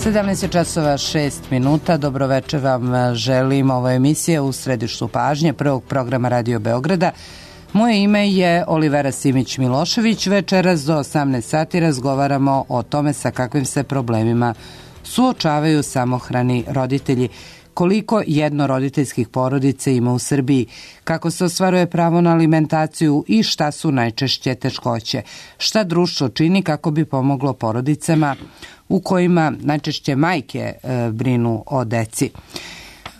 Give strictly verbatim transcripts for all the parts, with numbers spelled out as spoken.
sedamnaest časova šest minuta. Dobroveče vam želim. Ovo je emisija U središtu pažnje prvog programa Radio Beograda. Moje ime je Olivera Simić-Milošević. Večeras do osamnaest sati razgovaramo o tome sa kakvim se problemima suočavaju samohrani roditelji, koliko jednoroditeljskih porodica ima u Srbiji, kako se ostvaruje pravo na alimentaciju i šta su najčešće teškoće, šta društvo čini kako bi pomoglo porodicama u kojima najčešće majke e, brinu o deci.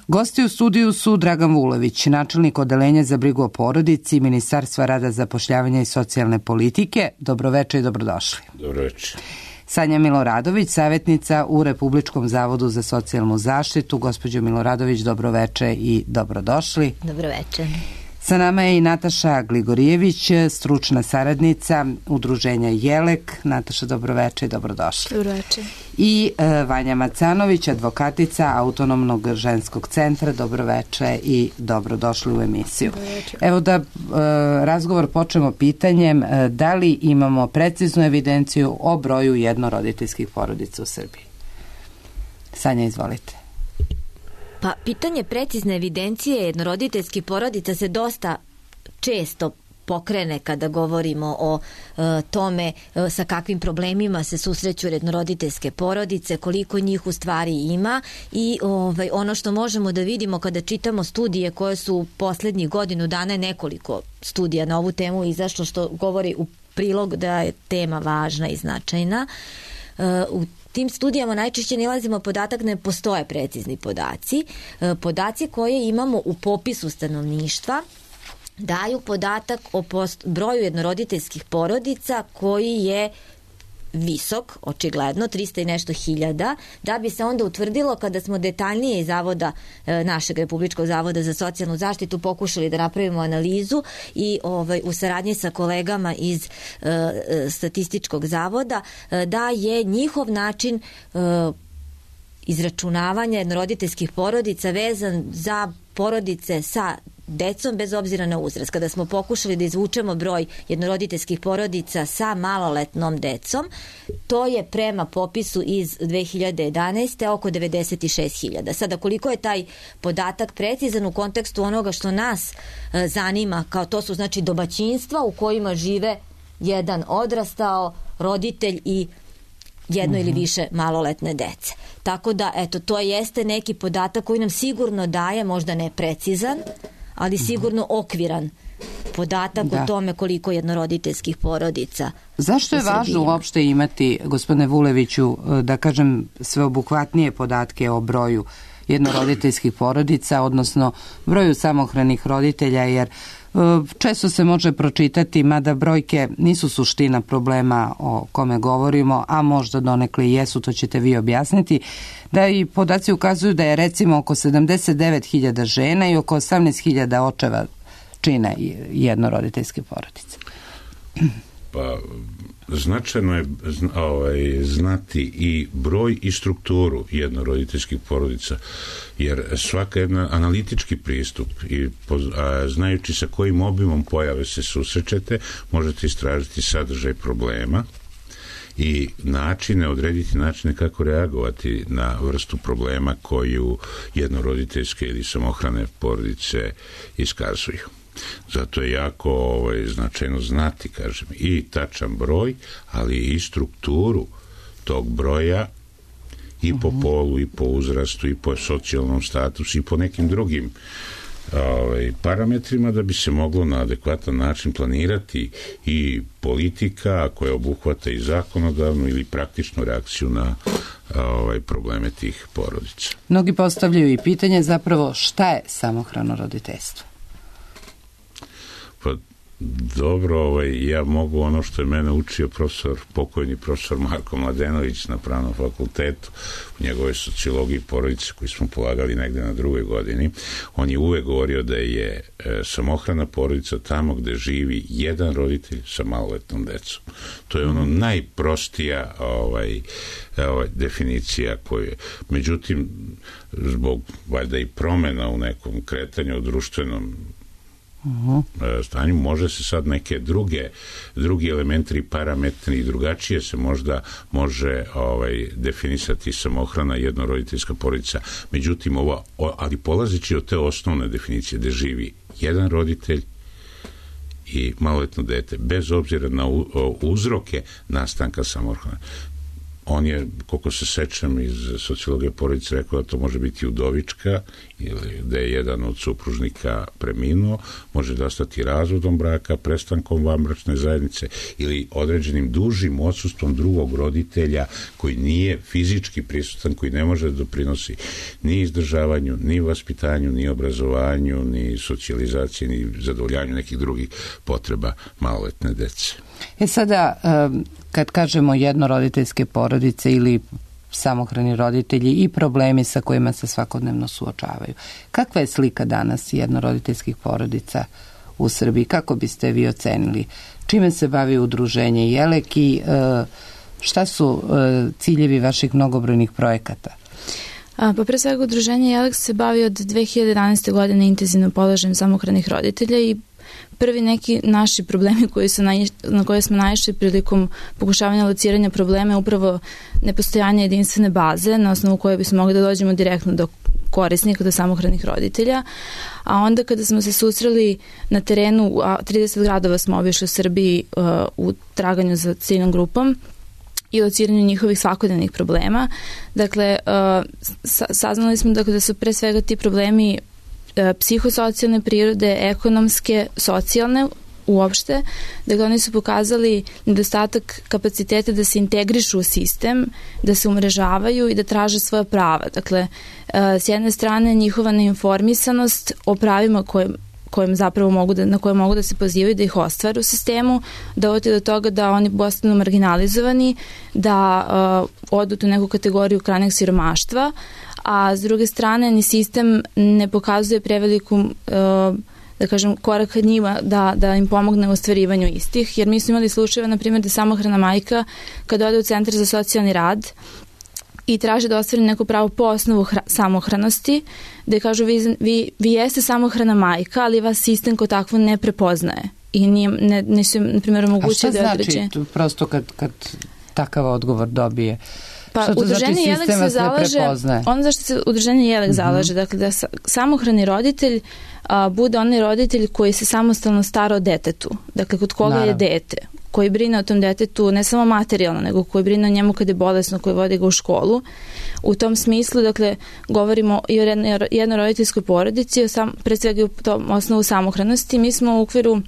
Gosti u studiju su Dragan Vulović, načelnik Odeljenja za brigu o porodici Ministarstva rada, zapošljavanja i socijalne politike. Dobroveče i dobrodošli. Dobroveče. Sanja Miloradović, savjetnica u Republičkom zavodu za socijalnu zaštitu. Gospođo Miloradović, dobroveče i dobrodošli. Dobroveče. Sa nama je i Nataša Gligorijević, stručna saradnica Udruženja Jelek. Nataša, dobroveče i dobrodošli. Dobroveče. I e, Vanja Macanović, advokatica Autonomnog ženskog centra. Dobroveče i dobrodošli u emisiju. Dobroveče. Evo da e, razgovor počnemo pitanjem e, da li imamo preciznu evidenciju o broju jednoroditeljskih porodica u Srbiji. Sanja, izvolite. Pa, pitanje precizne evidencije jednoroditeljskih porodica se dosta često pokrene kada govorimo o e, tome e, sa kakvim problemima se susreću jednoroditeljske porodice, koliko njih u stvari ima i ovaj, ono što možemo da vidimo kada čitamo studije koje su poslednjih godinu dana, nekoliko studija na ovu temu izašlo, što govori u prilog da je tema važna i značajna. E, u tim studijama najčešće nalazimo podatak da ne postoje precizni podaci. Podaci koje imamo u popisu stanovništva daju podatak o post- broju jednoroditeljskih porodica koji je visok, očigledno, trista i nešto hiljada, da bi se onda utvrdilo kada smo detaljnije iz zavoda, našeg Republičkog zavoda za socijalnu zaštitu pokušali da napravimo analizu i ovaj, u saradnji sa kolegama iz e, Statističkog zavoda, e, da je njihov način e, izračunavanja jednoroditeljskih porodica vezan za porodice sa decom bez obzira na uzrast. Kada smo pokušali da izvučemo broj jednoroditeljskih porodica sa maloletnom decom, to je prema popisu iz dve hiljade jedanaeste. oko devedeset šest hiljada. Sada, koliko je taj podatak precizan u kontekstu onoga što nas e, zanima, kao to su znači domaćinstva u kojima žive jedan odrastao roditelj i jedno mm-hmm. ili više maloletne dece. Tako da, eto, to jeste neki podatak koji nam sigurno daje, možda ne precizan, ali sigurno okviran podatak da. o tome koliko jednoroditeljskih porodica. Zašto je važno uopšte imati, gospodine Vuleviću, da kažem sveobuhvatnije podatke o broju jednoroditeljskih porodica, odnosno broju samohranih roditelja, jer često se može pročitati, mada brojke nisu suština problema o kome govorimo, a možda donekle i jesu, to ćete vi objasniti, da i podaci ukazuju da je recimo oko sedamdeset devet hiljada žena i oko osamnaest hiljada očeva čine jednoroditeljske porodice. Pa, značajno je ovaj, znati i broj i strukturu jednoroditeljskih porodica, jer svaka jedna analitički pristup i a, znajući sa kojim obimom pojave se susrećete, možete istražiti sadržaj problema i načine, odrediti načine kako reagovati na vrstu problema koju jednoroditeljske ili samohrane porodice iskazuju. Zato je jako ovaj, značajno znati, kažem, i tačan broj, ali i strukturu tog broja i po uh-huh. polu, i po uzrastu, i po socijalnom statusu, i po nekim drugim ovaj, parametrima, da bi se moglo na adekvatan način planirati i politika koja obuhvata i zakonodavnu ili praktičnu reakciju na ovaj, probleme tih porodica. Mnogi postavljaju i pitanje zapravo šta je samohrano roditeljstvo? Pa dobro, ovaj, ja mogu ono što je mene učio profesor, pokojni profesor Marko Mladenović na Pravnom fakultetu, u njegovoj sociologiji porodice koju smo polagali negde na drugoj godini. On je uvek govorio da je e, samohrana porodica tamo gde živi jedan roditelj sa maloletnom decom. To je ono najprostija ovaj, ovaj, definicija koju, međutim, zbog valjda i promena u nekom kretanju u društvenom Uh-huh. stanju. Može se sad neke druge drugi elementri, parametri i drugačije se možda može ovaj, definisati samohrana jednoroditeljska porodica. Međutim, ova, ali polazeći od te osnovne definicije gde živi jedan roditelj i maloletno dete, bez obzira na uzroke nastanka samohrane. On je, koliko se sećam iz sociologije porodice, rekao da to može biti udovička ili da je jedan od supružnika preminuo, može da ostati razvodom braka, prestankom vanbračne zajednice ili određenim dužim odsustvom drugog roditelja koji nije fizički prisutan, koji ne može da doprinosi ni izdržavanju, ni vaspitanju, ni obrazovanju, ni socijalizaciji, ni zadovoljanju nekih drugih potreba maloletne dece. E sada, kad kažemo jednoroditeljske porodice ili samohrani roditelji i problemi sa kojima se svakodnevno suočavaju, kakva je slika danas jednoroditeljskih porodica u Srbiji? Kako biste vi ocenili? Čime se bavi udruženje Jelek i šta su ciljevi vaših mnogobrojnih projekata? A, pa pre svega udruženje Jelek se bavi od dve hiljade jedanaeste. godine intenzivno položajem samohranih roditelja i prvi neki naši problemi koji su naiš, na koje smo naišli prilikom pokušavanja lociranja problema je upravo nepostojanje jedinstvene baze na osnovu koje bismo mogli da dođemo direktno do korisnika, do samohranih roditelja. A onda kada smo se susreli na terenu, a trideset gradova smo obišli u Srbiji uh, u traganju za ciljnom grupom i lociranju njihovih svakodnevnih problema. Dakle, uh, saznali smo dakle, da su pre svega ti problemi psihosocijalne prirode, ekonomske, socijalne uopšte. Dakle, oni su pokazali nedostatak kapaciteta da se integrišu u sistem, da se umrežavaju i da traže svoja prava. Dakle, s jedne strane njihova neinformisanost o pravima koje kojim zapravo mogu da, na koje mogu da se pozivaju da ih ostvare u sistemu, dovodi do toga da oni postanu marginalizovani, da uh, odu u neku kategoriju krajnjeg siromaštva, a s druge strane ni sistem ne pokazuje preveliku uh, da kažem, korak njima da, da im pomogne u ostvarivanju istih, jer mi smo imali slučajeva, na primjer, da samohrana majka kada ode u centar za socijalni rad i traže da ostvari neko pravo po osnovu hra, samohranosti, da kažu vi, vi, vi jeste samohrana majka, ali vas sistem kao takvo ne prepoznaje i nije, ne, nisu, na primjer, omogućuje da određe. A šta znači prosto kad, kad takav odgovor dobije? Pa udruženje Jelek se zalaže, ono zašto se udruženje Jelek uh-huh. zalaže, dakle da samohrani roditelj a, bude onaj roditelj koji se samostalno stara o detetu, dakle kod koga Naravno. je dete, koji brine o tom detetu ne samo materijalno, nego koji brine o njemu kad je bolesno, koji vodi ga u školu. U tom smislu, dakle, govorimo i o jednoroditeljskoj porodici, o sam, pre svega u tom osnovu samohranosti. Mi smo u okviru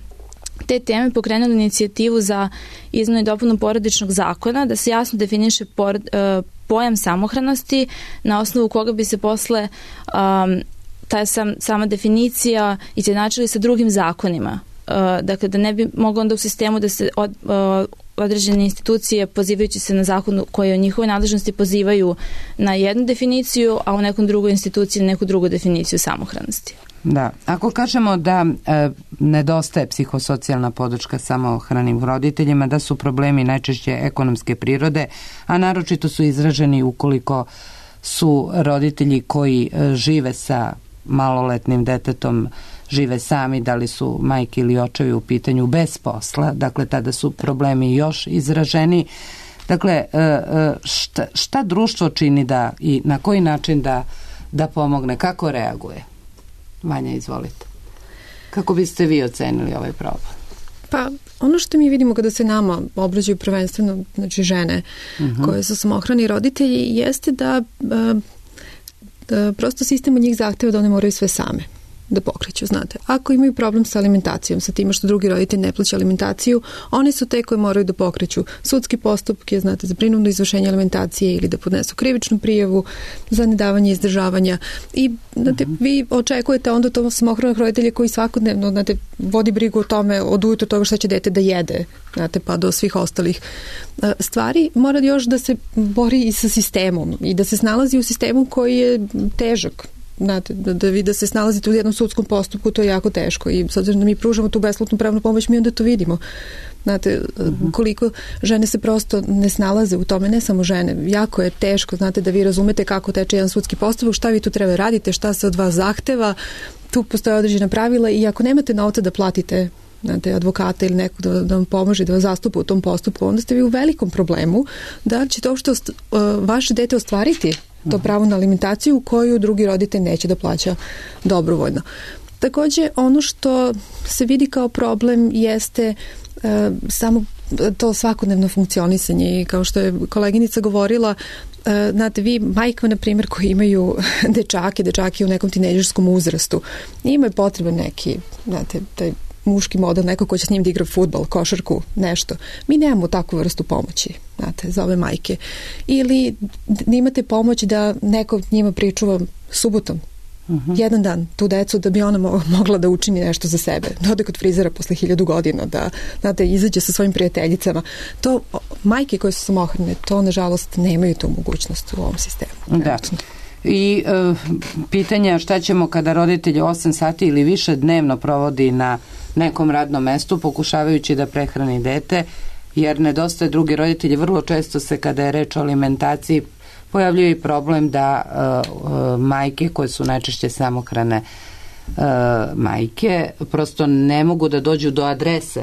te teme pokrenuli inicijativu za izmenu i dopunu porodičnog zakona, da se jasno definiše por, uh, pojam samohranosti, na osnovu koga bi se posle um, ta sam, sama definicija izjednačili sa drugim zakonima. Uh, dakle, da ne bi moglo onda u sistemu da se od, uh, određene institucije, pozivajući se na zakon koje o njihovoj nadležnosti pozivaju na jednu definiciju, a u nekom drugoj instituciji na neku drugu definiciju samohranosti. Da, ako kažemo da e, nedostaje psihosocijalna podrška samohranim roditeljima, da su problemi najčešće ekonomske prirode, a naročito su izraženi ukoliko su roditelji koji e, žive sa maloletnim detetom, žive sami, da li su majke ili očevi u pitanju bez posla, dakle tada su problemi još izraženi. Dakle, šta, šta društvo čini da i na koji način da, da pomogne, kako reaguje? Vanja, izvolite. Kako biste vi ocenili ovaj problem? Pa, ono što mi vidimo kada se nama obrađaju prvenstveno, znači žene uh-huh. koje su samohrani roditelji, jeste da, da prosto sistem od njih zahteva da one moraju sve same da pokreću, znate. Ako imaju problem sa alimentacijom, sa time što drugi roditelj ne plaća alimentaciju, oni su te koji moraju da pokreću sudski postupke, znate, za prinudno izvršenje alimentacije ili da podnesu krivičnu prijavu za nedavanje izdržavanja. I, znate, uh-huh. vi očekujete onda to samohranog roditelja koji svakodnevno, znate, vodi brigu o tome, od ujutru toga šta će dete da jede, znate, pa do svih ostalih stvari. Mora još da se bori i sa sistemom i da se snalazi u sistemu koji je težak. Znate, da, da vi da se snalazite u jednom sudskom postupku, to je jako teško i s obzirom da mi pružamo tu besplatnu pravnu pomoć, mi onda to vidimo. Znate, uh-huh. koliko žene se prosto ne snalaze u tome, ne samo žene. Jako je teško, znate, da vi razumete kako teče jedan sudski postupak, šta vi tu treba radite, šta se od vas zahteva, tu postoje određena pravila i ako nemate novca da platite znate, advokata ili nekog da, da vam pomože, da vas zastupa u tom postupku, onda ste vi u velikom problemu da ćete uopšte ost, uh, vaše dete ostvariti to pravo na alimentaciju koju drugi roditelj neće da plaća dobrovoljno. Takođe, ono što se vidi kao problem jeste uh, samo to svakodnevno funkcionisanje i kao što je koleginica govorila, uh, znate, vi majkama, na primjer, koji imaju dečake, dečake u nekom tinejdžerskom uzrastu, imaju potreban neki, znate, taj muški model, neko ko će s njim da igra fudbal, košarku, nešto. Mi nemamo takvu vrstu pomoći, znate, za ove majke. Ili imate pomoć da neko njima pričuva subotom, uh-huh. jedan dan, tu decu, da bi ona mogla da učini nešto za sebe. Da ode kod frizera posle hiljadu godina, da, znate, izađe sa svojim prijateljicama. To, majke koje su samohrane, to, nažalost, nemaju tu mogućnost u ovom sistemu. Da. I e, pitanja šta ćemo kada roditelj osam sati ili više dnevno provodi na nekom radnom mestu pokušavajući da prehrani dete, jer nedostaje drugi roditelji. Vrlo često se, kada je reč o alimentaciji, pojavljuje i problem da uh, majke koje su najčešće samohrane uh, majke prosto ne mogu da dođu do adrese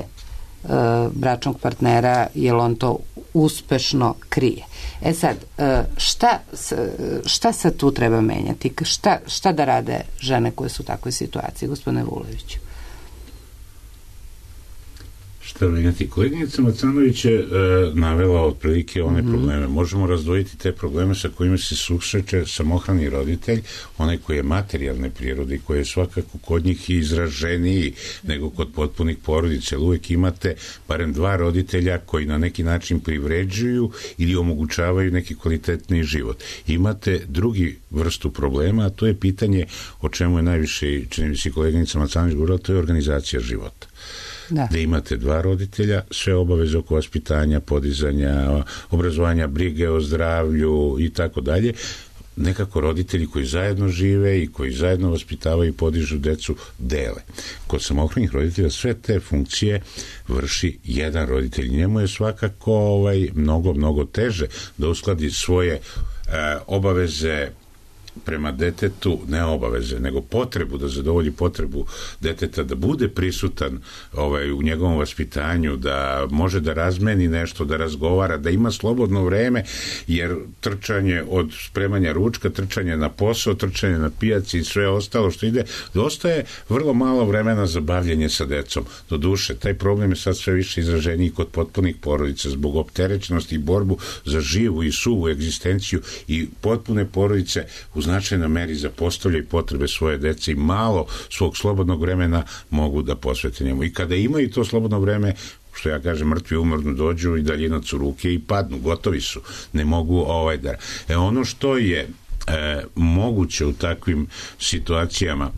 uh, bračnog partnera jer on to uspešno krije. E sad, uh, šta, šta sad tu treba menjati? Šta, šta da rade žene koje su u takvoj situaciji, gospodine Vuleviću? Šta menjati? Koleginica Macanović je e, navela otprilike one mm-hmm. probleme. Možemo razdvojiti te probleme sa kojima se susreće samohrani roditelj, onaj koji je materijalne prirode i koji je svakako kod njih izraženiji nego kod potpunih porodica. Jer uvek imate barem dva roditelja koji na neki način privređuju ili omogućavaju neki kvalitetni život. Imate drugi vrstu problema, a to je pitanje o čemu je najviše, čini mi se koleginica Macanović govorila, to je organizacija života. Da. da imate dva roditelja, sve obaveze oko vaspitanja, podizanja, obrazovanja, brige o zdravlju i tako dalje, nekako roditelji koji zajedno žive i koji zajedno vaspitavaju i podižu decu dele. Kod samohranih roditelja sve te funkcije vrši jedan roditelj. Njemu je svakako ovaj, mnogo, mnogo teže da uskladi svoje e, obaveze prema detetu, ne obaveze, nego potrebu, da zadovolji potrebu deteta, da bude prisutan ovaj, u njegovom vaspitanju, da može da razmeni nešto, da razgovara, da ima slobodno vreme, jer trčanje od spremanja ručka, trčanje na posao, trčanje na pijaci i sve ostalo što ide, dostaje vrlo malo vremena za bavljenje sa decom. Do duše, taj problem je sad sve više izraženiji kod potpunih porodica zbog opterećenosti i borbu za živu i suvu egzistenciju i potpune porodice u značajnoj meri zapostavljaju potrebe svoje dece i malo svog slobodnog vremena mogu da posvete njemu. I kada imaju to slobodno vreme, što ja kažem, mrtvi umorno dođu i daljinac u ruke i padnu, gotovi su. Ne mogu ovaj da... E ono što je e, moguće u takvim situacijama,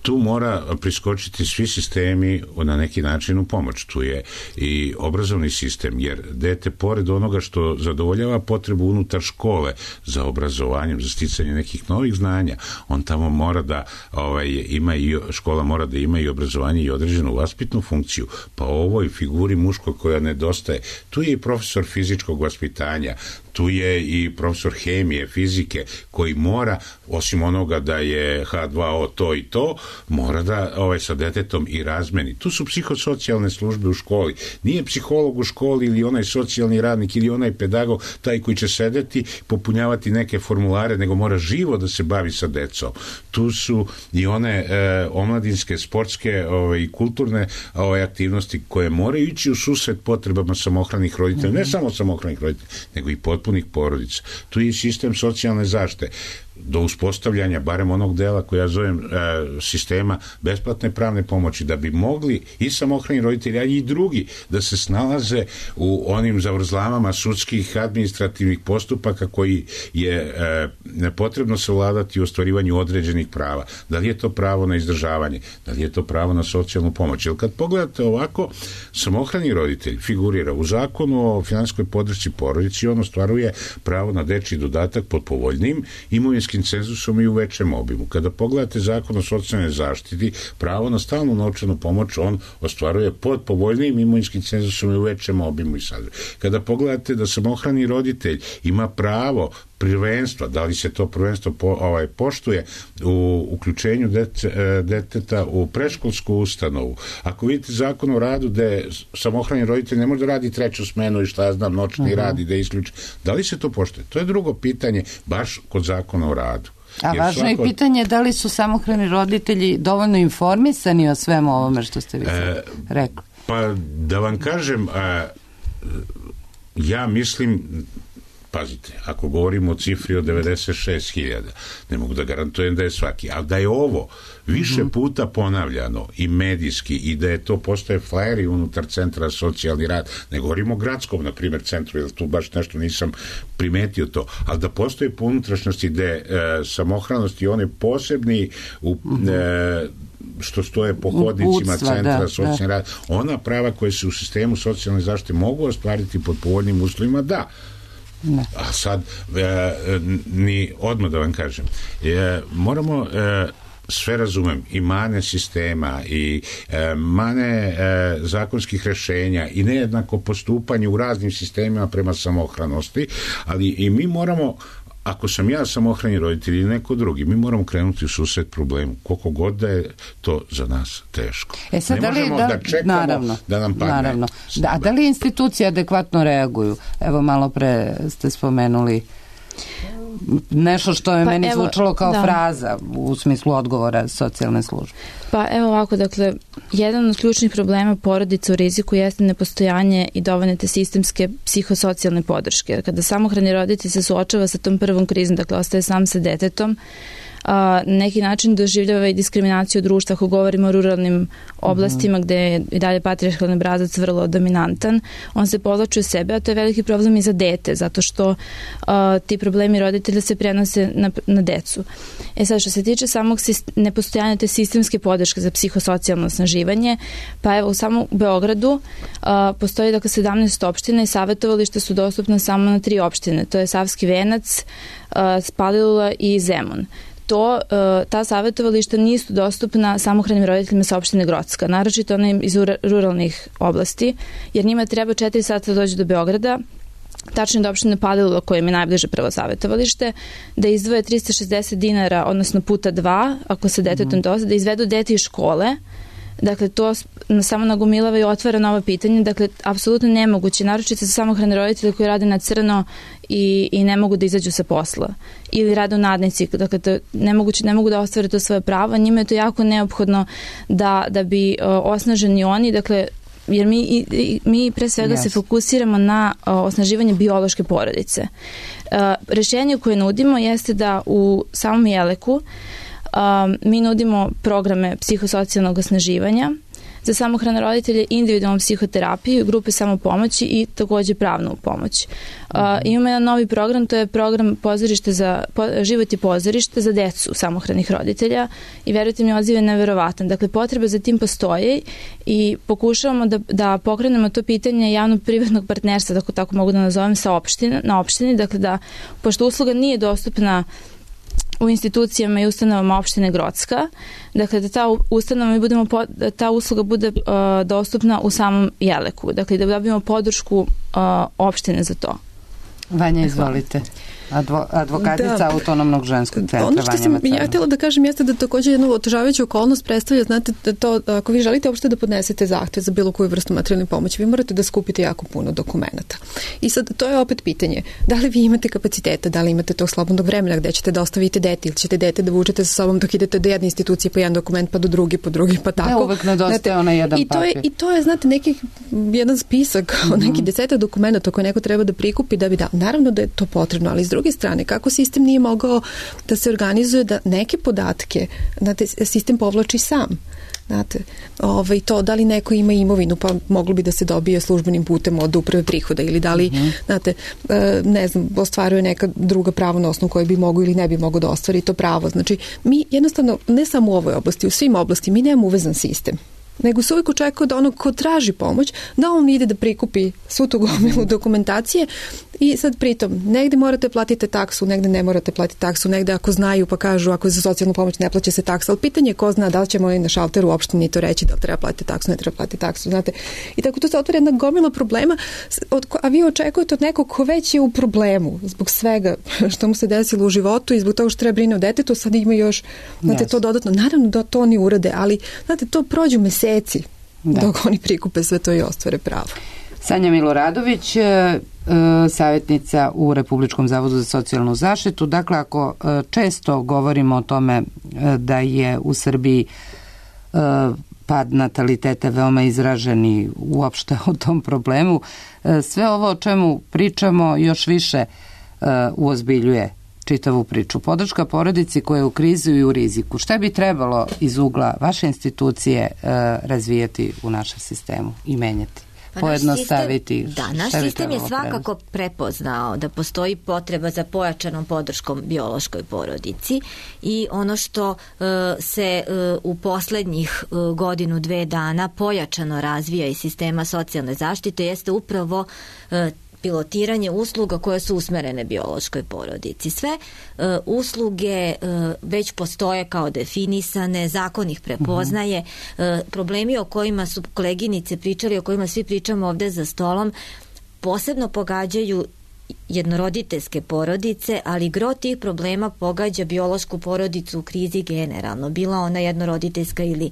tu mora priskočiti svi sistemi na neki način u pomoć. Tu je i obrazovni sistem, jer dete, pored onoga što zadovoljava potrebu unutar škole za obrazovanjem, za sticanje nekih novih znanja, on tamo mora da ovaj, ima i, škola mora da ima i obrazovanje i određenu vaspitnu funkciju. Pa ovoj figuri muškoj koja nedostaje, tu je i profesor fizičkog vaspitanja, tu je i profesor hemije, fizike, koji mora, osim onoga da je ha dva o to i to, mora da ovaj, sa detetom i razmeni. Tu su psihosocijalne službe u školi. Nije psiholog u školi ili onaj socijalni radnik ili onaj pedagog taj koji će sedeti, popunjavati neke formulare, nego mora živo da se bavi sa decom. Tu su i one e, omladinske, sportske ovaj, i kulturne ovaj, aktivnosti koje moraju ići u susret potrebama samohranih roditelja, ne samo samohranih roditelja, nego i potpunih porodica. Tu je i sistem socijalne zaštite. Do uspostavljanja barem onog dela koji ja zovem e, sistema besplatne pravne pomoći, da bi mogli i samohrani roditelji, a i drugi da se snalaze u onim zavrzlamama sudskih administrativnih postupaka koji je e, potrebno savladati u ostvarivanju određenih prava. Da li je to pravo na izdržavanje, da li je to pravo na socijalnu pomoć. Jer kad pogledate ovako, samohrani roditelj figurira u zakonu o finansijskoj podršci porodici, on ostvaruje pravo na dečji dodatak pod povoljnim imovinskim cenzusom i u većem obimu. Kada pogledate zakon o socijalnoj zaštiti, pravo na stalnu novčanu pomoć on ostvaruje pod povoljnijim imovinskim cenzusom i u većem obimu i sadržaju. Kada pogledate da samohrani roditelj ima pravo prvenstva, da li se to prvenstvo po, ovaj, poštuje u uključenju dete, deteta u predškolsku ustanovu. Ako vidite zakon o radu gde samohrani roditelj ne može da radi treću smenu i šta ja znam, noćni uh-huh. rad i da isključi, da li se to poštuje? To je drugo pitanje baš kod zakona o radu. A jer važno svako... je pitanje da li su samohrani roditelji dovoljno informisani o svemu ovome što ste vi e, rekli. Pa da vam kažem, a, ja mislim, pazite, ako govorimo o cifri od devedeset šest hiljada, ne mogu da garantujem da je svaki, ali da je ovo više puta ponavljano i medijski i da je to postoje flajeri unutar centra socijalni rad, ne govorimo o gradskom, na primjer, centru, jer tu baš nešto nisam primetio to, ali da postoje po unutrašnjosti gde e, samohranost i one posebni u, e, što stoje po hodnicima Uputstva, centra da, socijalni da. rad, ona prava koje se u sistemu socijalne zaštite mogu ostvariti pod povoljnim uslovima, da. Ne. A sad, e, ni odmah da vam kažem, e, moramo e, sve razumem, i mane sistema i e, mane e, zakonskih rešenja i nejednako postupanje u raznim sistemima prema samohranosti, ali i mi moramo, ako sam ja samohrani roditelj ili neko drugi, mi moramo krenuti u susret problemu, koliko god da je to za nas teško. E sad, ne da li, možemo da, da čekamo naravno, da nam padne. Naravno. Da, a da li institucije adekvatno reaguju? Evo, malo pre ste spomenuli nešto što je pa meni evo, zvučalo kao da. fraza u smislu odgovora socijalne službe. Pa evo ovako, dakle, jedan od ključnih problema porodica u riziku jeste nepostojanje i dovoljne te sistemske psihosocijalne podrške. Jer kada samohrani roditelj se suočava sa tom prvom krizom, dakle, ostaje sam sa detetom, na neki način doživljava i diskriminaciju društva ako govorimo o ruralnim oblastima gde je i dalje patrijarhalni obrazac vrlo dominantan, on se povlači u sebe, a to je veliki problem i za dete, zato što uh, ti problemi roditelja se prenose na, na decu. E sad, što se tiče samog nepostojanja te sistemske podrške za psihosocijalno osnaživanje, pa evo u samom Beogradu uh, postoji dakle sedamnaest opština i savjetovališta su dostupna samo na tri opštine, to je Savski Venac, uh, Palilula i Zemun. To, ta savjetovališta nisu dostupna samohranim roditeljima sa opštine Grocka, naročito onim iz ruralnih oblasti, jer njima treba četiri sata da dođu do Beograda, tačno do opštine Palilula koje im je najbliže prvo savjetovalište, da izdvoje trista šezdeset dinara, odnosno puta dva, ako se detetom dosta, da izvedu dete iz škole. Dakle, to samo nagomilava i otvara nova pitanja. Dakle, apsolutno nemoguće, naročito za samohrane roditelje koji rade na crno i, i ne mogu da izađu sa posla. Ili rade u nadnici. Dakle, to nemoguće, ne mogu da ostvare to svoje pravo. Njima je to jako neophodno da, da bi o, osnaženi oni, dakle, jer mi, i, mi pre svega yes. se fokusiramo na o, osnaživanje biološke porodice. E, rešenje koje nudimo jeste da u samom Jeleku Um, mi nudimo programe psihosocijalnog osnaživanja za samohrane roditelje, individualnu psihoterapiju, grupe samopomoći i takođe pravnu pomoć. Uh, imamo jedan novi program, to je program pozorište za, po, život i pozorište za decu samohranih roditelja i verujte mi, odziv je neverovatan. Dakle, potreba za tim postoji i pokušavamo da, da pokrenemo to pitanje javno-privatnog partnerstva, tako, tako mogu da nazovem, sa opština, na opštini, dakle da, pošto usluga nije dostupna u institucijama i ustanovama opštine Grocka, dakle da ta ustanova i budemo po, da ta usluga bude uh, dostupna u samom Jeleku, dakle da dobijemo podršku uh, opštine za to. Vanja, izvolite. Advo, advokatica da. Autonomnog ženskog centra. Ono što sam ja htjela da kažem jeste da također jednu otežavajuću okolnost predstavlja, znate, da to, ako vi želite uopšte da podnesete zahtev za bilo koju vrstu materijalne pomoći, vi morate da skupite jako puno dokumenata. I sad, to je opet pitanje, da li vi imate kapaciteta, da li imate tog slobodnog vremena gde ćete da ostavite dete ili ćete dete da vučete sa sobom dok idete do jedne institucije pa jedan dokument, pa do drugi, po drugi, pa tako. Ne, uvek nedostaje onaj jedan i to je, papir. I to je, znate, neki, jedan spisak, mm-hmm. neki desetak dokumenta koje neko treba da prikupi da bi da. Naravno da je to potrebno, ali s druge strane, kako sistem nije mogao da se organizuje da neke podatke, znate, sistem povlači sam. Znate, ovaj, to da li neko ima imovinu, pa moglo bi da se dobije službenim putem od uprave prihoda ili da li, mm-hmm. znate, ne znam, ostvaruje neka druga pravo na osnovu koje bi mogo ili ne bi mogo da ostvari to pravo. Znači, mi jednostavno, ne samo u ovoj oblasti, u svim oblasti, mi nemamo uvezan sistem, nego se uvijek očekuje da onog ko traži pomoć, da on ide da prikupi svu tu gomilu dokumentacije I sad pritom, negde morate platiti taksu, negde ne morate platiti taksu, negde ako znaju pa kažu ako je za socijalnu pomoć ne plaća se taksa, ali pitanje je ko zna da li ćemo i na šalteru u opštini to reći da li treba platiti taksu, ne treba platiti taksu, znate. I tako tu se otvori jedna gomila problema, od, a vi očekujete od nekog ko već je u problemu zbog svega što mu se desilo u životu i zbog toga što treba brine o detetu, sad ima još, znate, yes. to dodatno. Naravno da to oni urade, ali, znate, to prođu meseci da. dok oni prikupe sve to i ostvare pravo. Sanja Miloradović, savjetnica u Republičkom zavodu za socijalnu zaštitu. Dakle, ako često govorimo o tome da je u Srbiji pad nataliteta veoma izraženi uopšte o tom problemu, sve ovo o čemu pričamo još više uozbiljuje čitavu priču. Podrška porodici koja je u krizi i u riziku. Šta bi trebalo iz ugla vaše institucije razvijati u našem sistemu i menjati? Pa pojednostaviti. Naš sistem, da, naš sistem je svakako prepoznao da postoji potreba za pojačanom podrškom biološkoj porodici i ono što uh, se uh, u poslednjih uh, godinu, dve dana pojačano razvija iz sistema socijalne zaštite jeste upravo uh, pilotiranje usluga koje su usmerene biološkoj porodici. Sve uh, usluge uh, već postoje kao definisane, zakon ih prepoznaje. Uh, problemi o kojima su koleginice pričali, o kojima svi pričamo ovde za stolom, posebno pogađaju jednoroditeljske porodice, ali gro tih problema pogađa biološku porodicu u krizi generalno, bila ona jednoroditeljska ili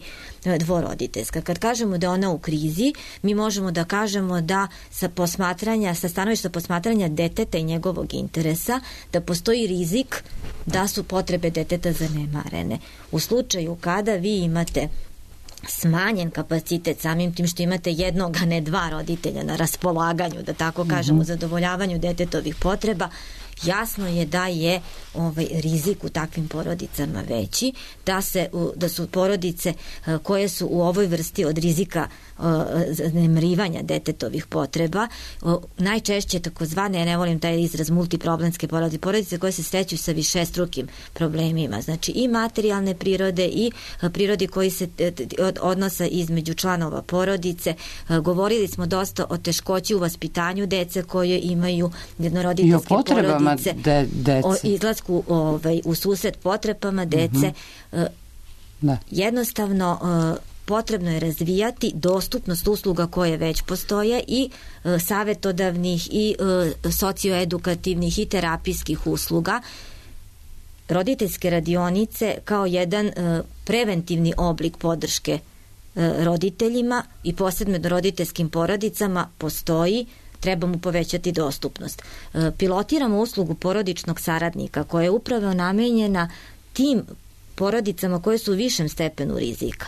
dvoroditeljska. Kad kažemo da je ona u krizi, mi možemo da kažemo da sa posmatranja, sa stanovišta posmatranja deteta i njegovog interesa, da postoji rizik da su potrebe deteta zanemarene. U slučaju kada vi imate smanjen kapacitet samim tim što imate jednog, a ne dva roditelja na raspolaganju, da tako kažemo, u zadovoljavanju detetovih potreba, jasno je da je ovaj rizik u takvim porodicama veći, da se da su porodice koje su u ovoj vrsti od rizika zanemarivanja detetovih potreba, najčešće takozvane, ja ne volim taj izraz, multiproblemske porodice, porodice koje se sreću sa višestrukim problemima, znači i materijalne prirode i prirodi koji se odnosa između članova porodice. Govorili smo dosta o teškoći u vaspitanju dece koje imaju jednoroditeljske porodice, de, dece. o izlasku ovaj, u susret potrebama dece. Mm-hmm. Da. Jednostavno potrebno je razvijati dostupnost usluga koje već postoje i e, savetodavnih i e, socioedukativnih i terapijskih usluga. Roditeljske radionice kao jedan e, preventivni oblik podrške e, roditeljima i posebno roditeljskim porodicama postoji, treba mu povećati dostupnost. E, pilotiramo uslugu porodičnog saradnika koja je upravo namenjena tim porodicama koje su u višem stepenu rizika.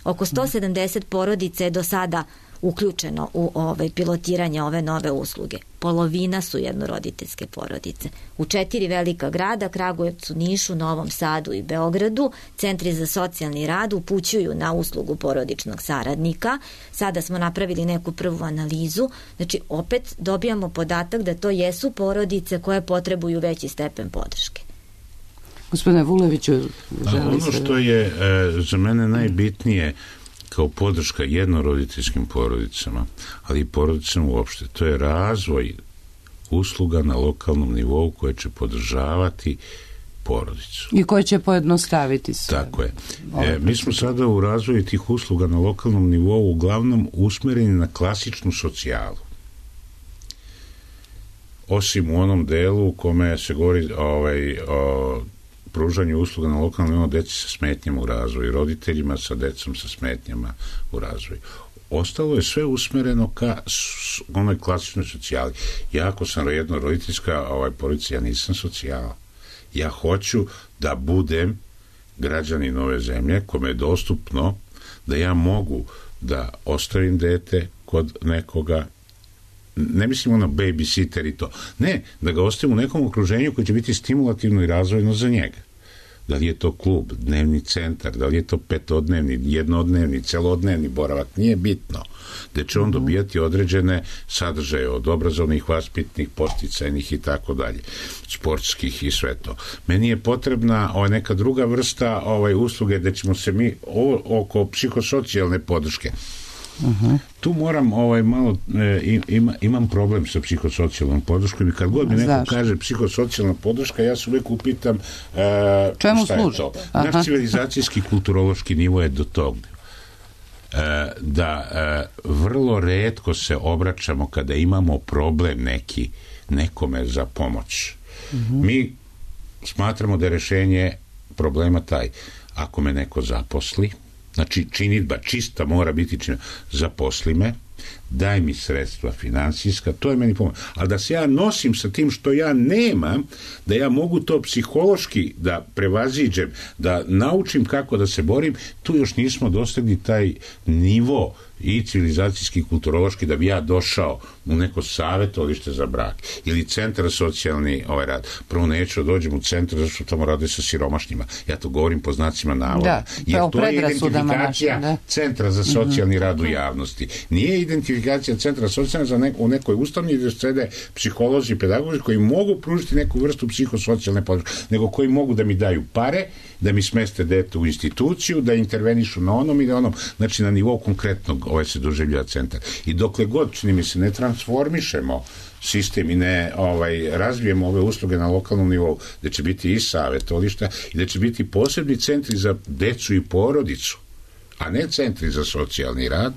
Oko sto sedamdeset porodica je do sada uključeno u ovaj pilotiranje ove nove usluge. Polovina su jednoroditeljske porodice. U četiri velika grada, Kragujevcu, Nišu, Novom Sadu i Beogradu, centri za socijalni rad upućuju na uslugu porodičnog saradnika. Sada smo napravili neku prvu analizu. Znači, opet dobijamo podatak da to jesu porodice koje potrebuju veći stepen podrške. Gospodine Vuleviću, ono što je e, za mene najbitnije kao podrška jednoroditeljskim porodicama, ali i porodicama uopšte, to je razvoj usluga na lokalnom nivou koje će podržavati porodicu. I koje će pojednostaviti sve. Tako je. E, mi smo sada u razvoju tih usluga na lokalnom nivou uglavnom usmereni na klasičnu socijalu. Osim u onom delu u kome se govori ovaj, o pružanju usluga na lokalnom nivou deci sa smetnjama u razvoju, roditeljima sa decom sa smetnjama u razvoju. Ostalo je sve usmereno ka onoj klasičnoj socijali. Ja ako sam jednoroditeljska ovaj, porodica, ja nisam socijala. Ja hoću da budem građanin ove zemlje kome je dostupno da ja mogu da ostavim dete kod nekoga, ne mislim ono babysitter i to, ne, da ga ostavim u nekom okruženju koji će biti stimulativno i razvojno za njega. Da li je to klub, dnevni centar, da li je to petodnevni, jednodnevni, celodnevni boravak, nije bitno. Da će on dobijati određene sadržaje od obrazovnih, vaspitnih, posticajnih i tako dalje, sportskih i sve to. Meni je potrebna ovaj, neka druga vrsta ovaj, usluge da ćemo se mi o, oko psihosocijalne podrške. Uh-huh. Tu moram ovaj malo e, ima, imam problem sa psihosocijalnom podrškom i kad god mi neko Zašto? kaže psihosocijalna podrška, ja se uvijek upitam e, čemu šta služi? je to? Aha. Naš civilizacijski kulturološki nivo je do tog e, da e, vrlo retko se obraćamo kada imamo problem neki nekome za pomoć. Uh-huh. Mi smatramo da je rešenje problema taj, ako me neko zaposli, znači činidba čista mora biti činidba, zaposli me, daj mi sredstva finansijska, to je meni pomoć. Ali da se ja nosim sa tim što ja nemam, da ja mogu to psihološki da prevaziđem, da naučim kako da se borim, tu još nismo dostigli taj nivo i civilizacijski, kulturološki, da bi ja došao u neko savjetovalište za brak ili centar za socijalni ovaj rad. Prvo neću da dođem u centar zato što tamo rade sa siromašnjima. Ja to govorim po znacima navoda. Da, jer to je identifikacija našim, centra za socijalni mm-hmm. rad u javnosti. Nije identifikacija centra za socijalni za neko, u nekoj ustanovi gdje sede psiholozi i pedagozi koji mogu pružiti neku vrstu psihosocijalne podrške, nego koji mogu da mi daju pare, da mi smeste dete u instituciju, da intervenišu na onom i na onom, znači na nivou konkretnog ovaj se doživljava centar. I dokle god, čini mi se, ne transformišemo sistem i ne ovaj, razvijemo ove usluge na lokalnom nivou, da će biti i savjetovališta i da će biti posebni centri za decu i porodicu, a ne centri za socijalni rad,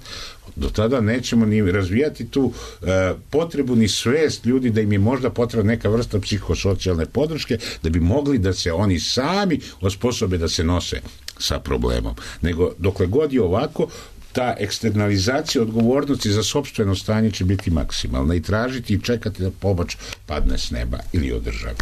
do tada nećemo ni razvijati tu e, potrebu ni svest ljudi da im je možda potrebna neka vrsta psihosocijalne podrške da bi mogli da se oni sami osposobe da se nose sa problemom. Nego dokle god je ovako, ta eksternalizacija odgovornosti za sopstveno stanje će biti maksimalna i tražiti i čekati da pomoć padne s neba ili od države.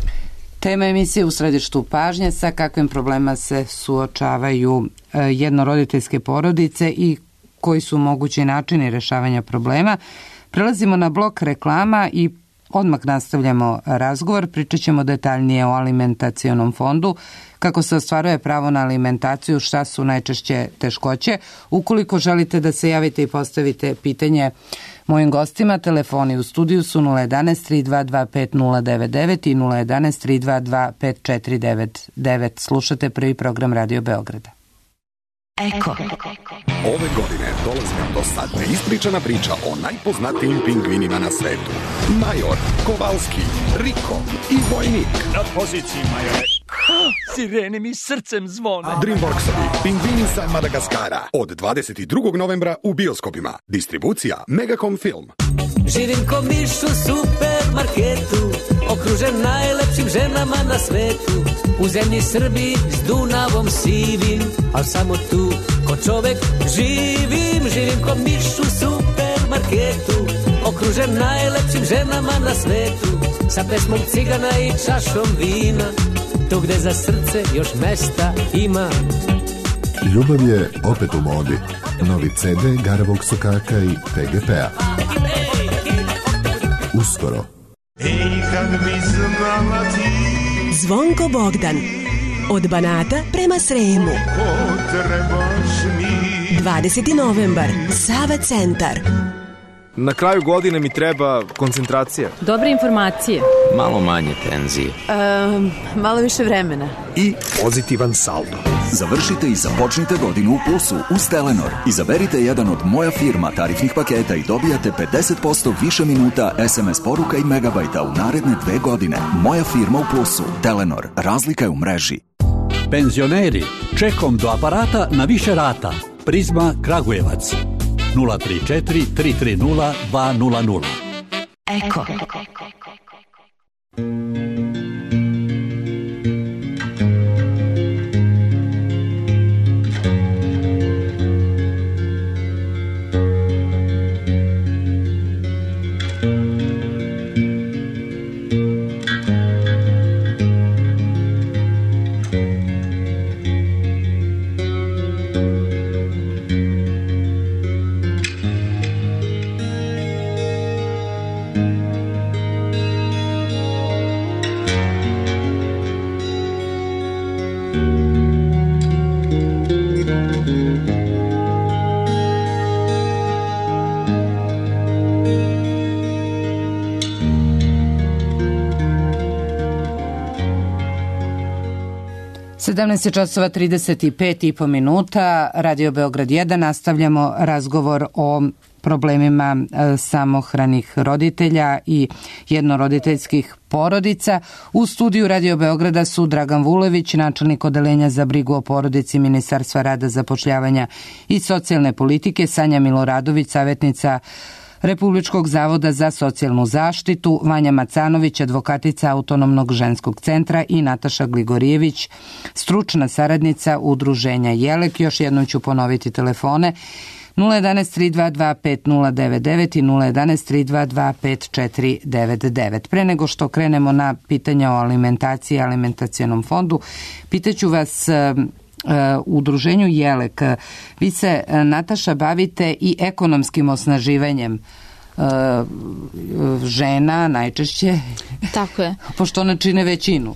Tema emisije U središtu pažnje, sa kakvim problema se suočavaju jednoroditeljske porodice i koji su mogući načini rešavanja problema. Prelazimo na blok reklama i odmah nastavljamo razgovor. Pričat ćemo detaljnije o alimentacionom fondu, kako se ostvaruje pravo na alimentaciju, šta su najčešće teškoće. Ukoliko želite da se javite i postavite pitanje mojim gostima, telefoni u studiju su nula jedan tri dva dva pet nula devet devet i nula jedan tri dva dva pet četiri devet devet. Slušate prvi program Radio Beograda. Eko. Ove godine dolazi nam dosadna ispričana priča o najpoznatijim pingvinima na svetu. Major, Kovalski, Riko i Vojnik. Na poziciji, majore. Sirene mi srcem zvone. Dreamworksovi Pingvini sa Madagaskara. Od dvadeset drugog novembra u bioskopima. Distribucija Megacom Film. Živim ko miš u supermarketu, okružen najlepšim ženama na svetu. U zemlji Srbiji s Dunavom sivim, al samo tu ko čovek živim. Živim ko miš u supermarketu, okružen najlepšim ženama na svetu. Sa pesmom cigana i čašom vina, tu gde za srce još mesta ima. Ljubav je opet u modi. Novi ce de Garavog Sokaka i pe ge pe-a. Uskoro. Ej, kad bi znala ti Zvonko Bogdan. Od Banata prema Sremu. dvadeseti novembar. Sava centar. Na kraju godine mi treba koncentracija. Dobre informacije. Malo manje tenzije. Um, malo više vremena. I pozitivan saldo. Završite i započnite godinu u plusu uz Telenor. Izaberite jedan od Moja firma tarifnih paketa i dobijate pedeset posto više minuta es em es poruka i megabajta u naredne dve godine. Moja firma u plusu. Telenor. Razlika je u mreži. Penzioneri, čekom do aparata na više rata. Prizma Kragujevac. nula tri četiri tri tri nula dva nula nula. Eko. sedamnaest časova trideset pet i po minuta, Radio Beograd jedan, nastavljamo razgovor o problemima samohranih roditelja i jednoroditeljskih porodica. U studiju Radio Beograda su Dragan Vulević, načelnik odeljenja za brigu o porodici Ministarstva rada, zapošljavanja i socijalne politike, Sanja Miloradović, savjetnica Republičkog zavoda za socijalnu zaštitu, Vanja Macanović, advokatica Autonomnog ženskog centra i Nataša Gligorijević, stručna saradnica Udruženja Jelek. Još jednom ću ponoviti telefone nula jedanaest tri dva dva pet nula devet devet i nula jedanaest tri dva dva pet četiri devet devet. Pre nego što krenemo na pitanja o alimentaciji i alimentacionom fondu, pitaću vas u Udruženju Jelek. Vi se, Nataša, bavite i ekonomskim osnaživanjem žena najčešće. Tako je. Pošto one čine većinu.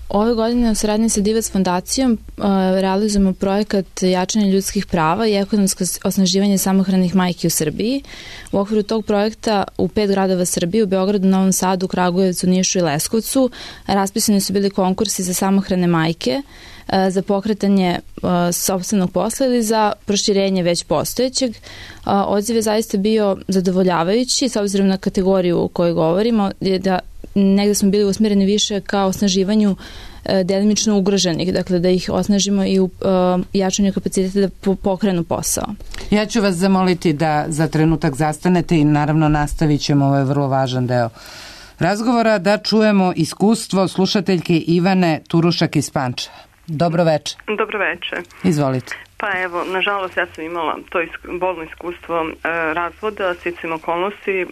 Ove godine u saradnji sa Divac fondacijom uh, realizujemo projekat jačanja ljudskih prava i ekonomsko osnaživanje samohranih majki u Srbiji. U okviru tog projekta u pet gradova Srbije, u Beogradu, Novom Sadu, Kragujevcu, Nišu i Leskovcu, raspisani su bili konkursi za samohrane majke, uh, za pokretanje uh, sopstvenog posla ili za proširenje već postojećeg. Uh, odziv je zaista bio zadovoljavajući, s obzirom na kategoriju o kojoj govorimo, je da negde smo bili usmjereni više ka osnaživanju e, delimično ugroženih, dakle da ih osnažimo i u e, jačanju kapaciteta da po, pokrenu posao. Ja ću vas zamoliti da za trenutak zastanete i naravno nastavit ćemo, ovo je vrlo važan deo razgovora, da čujemo iskustvo slušateljke Ivane Turušak iz Pančeva. Dobro večer. Dobro večer. Izvolite. Pa evo, nažalost ja sam imala to isk- bolno iskustvo e, razvoda, sticam okolnosti, e,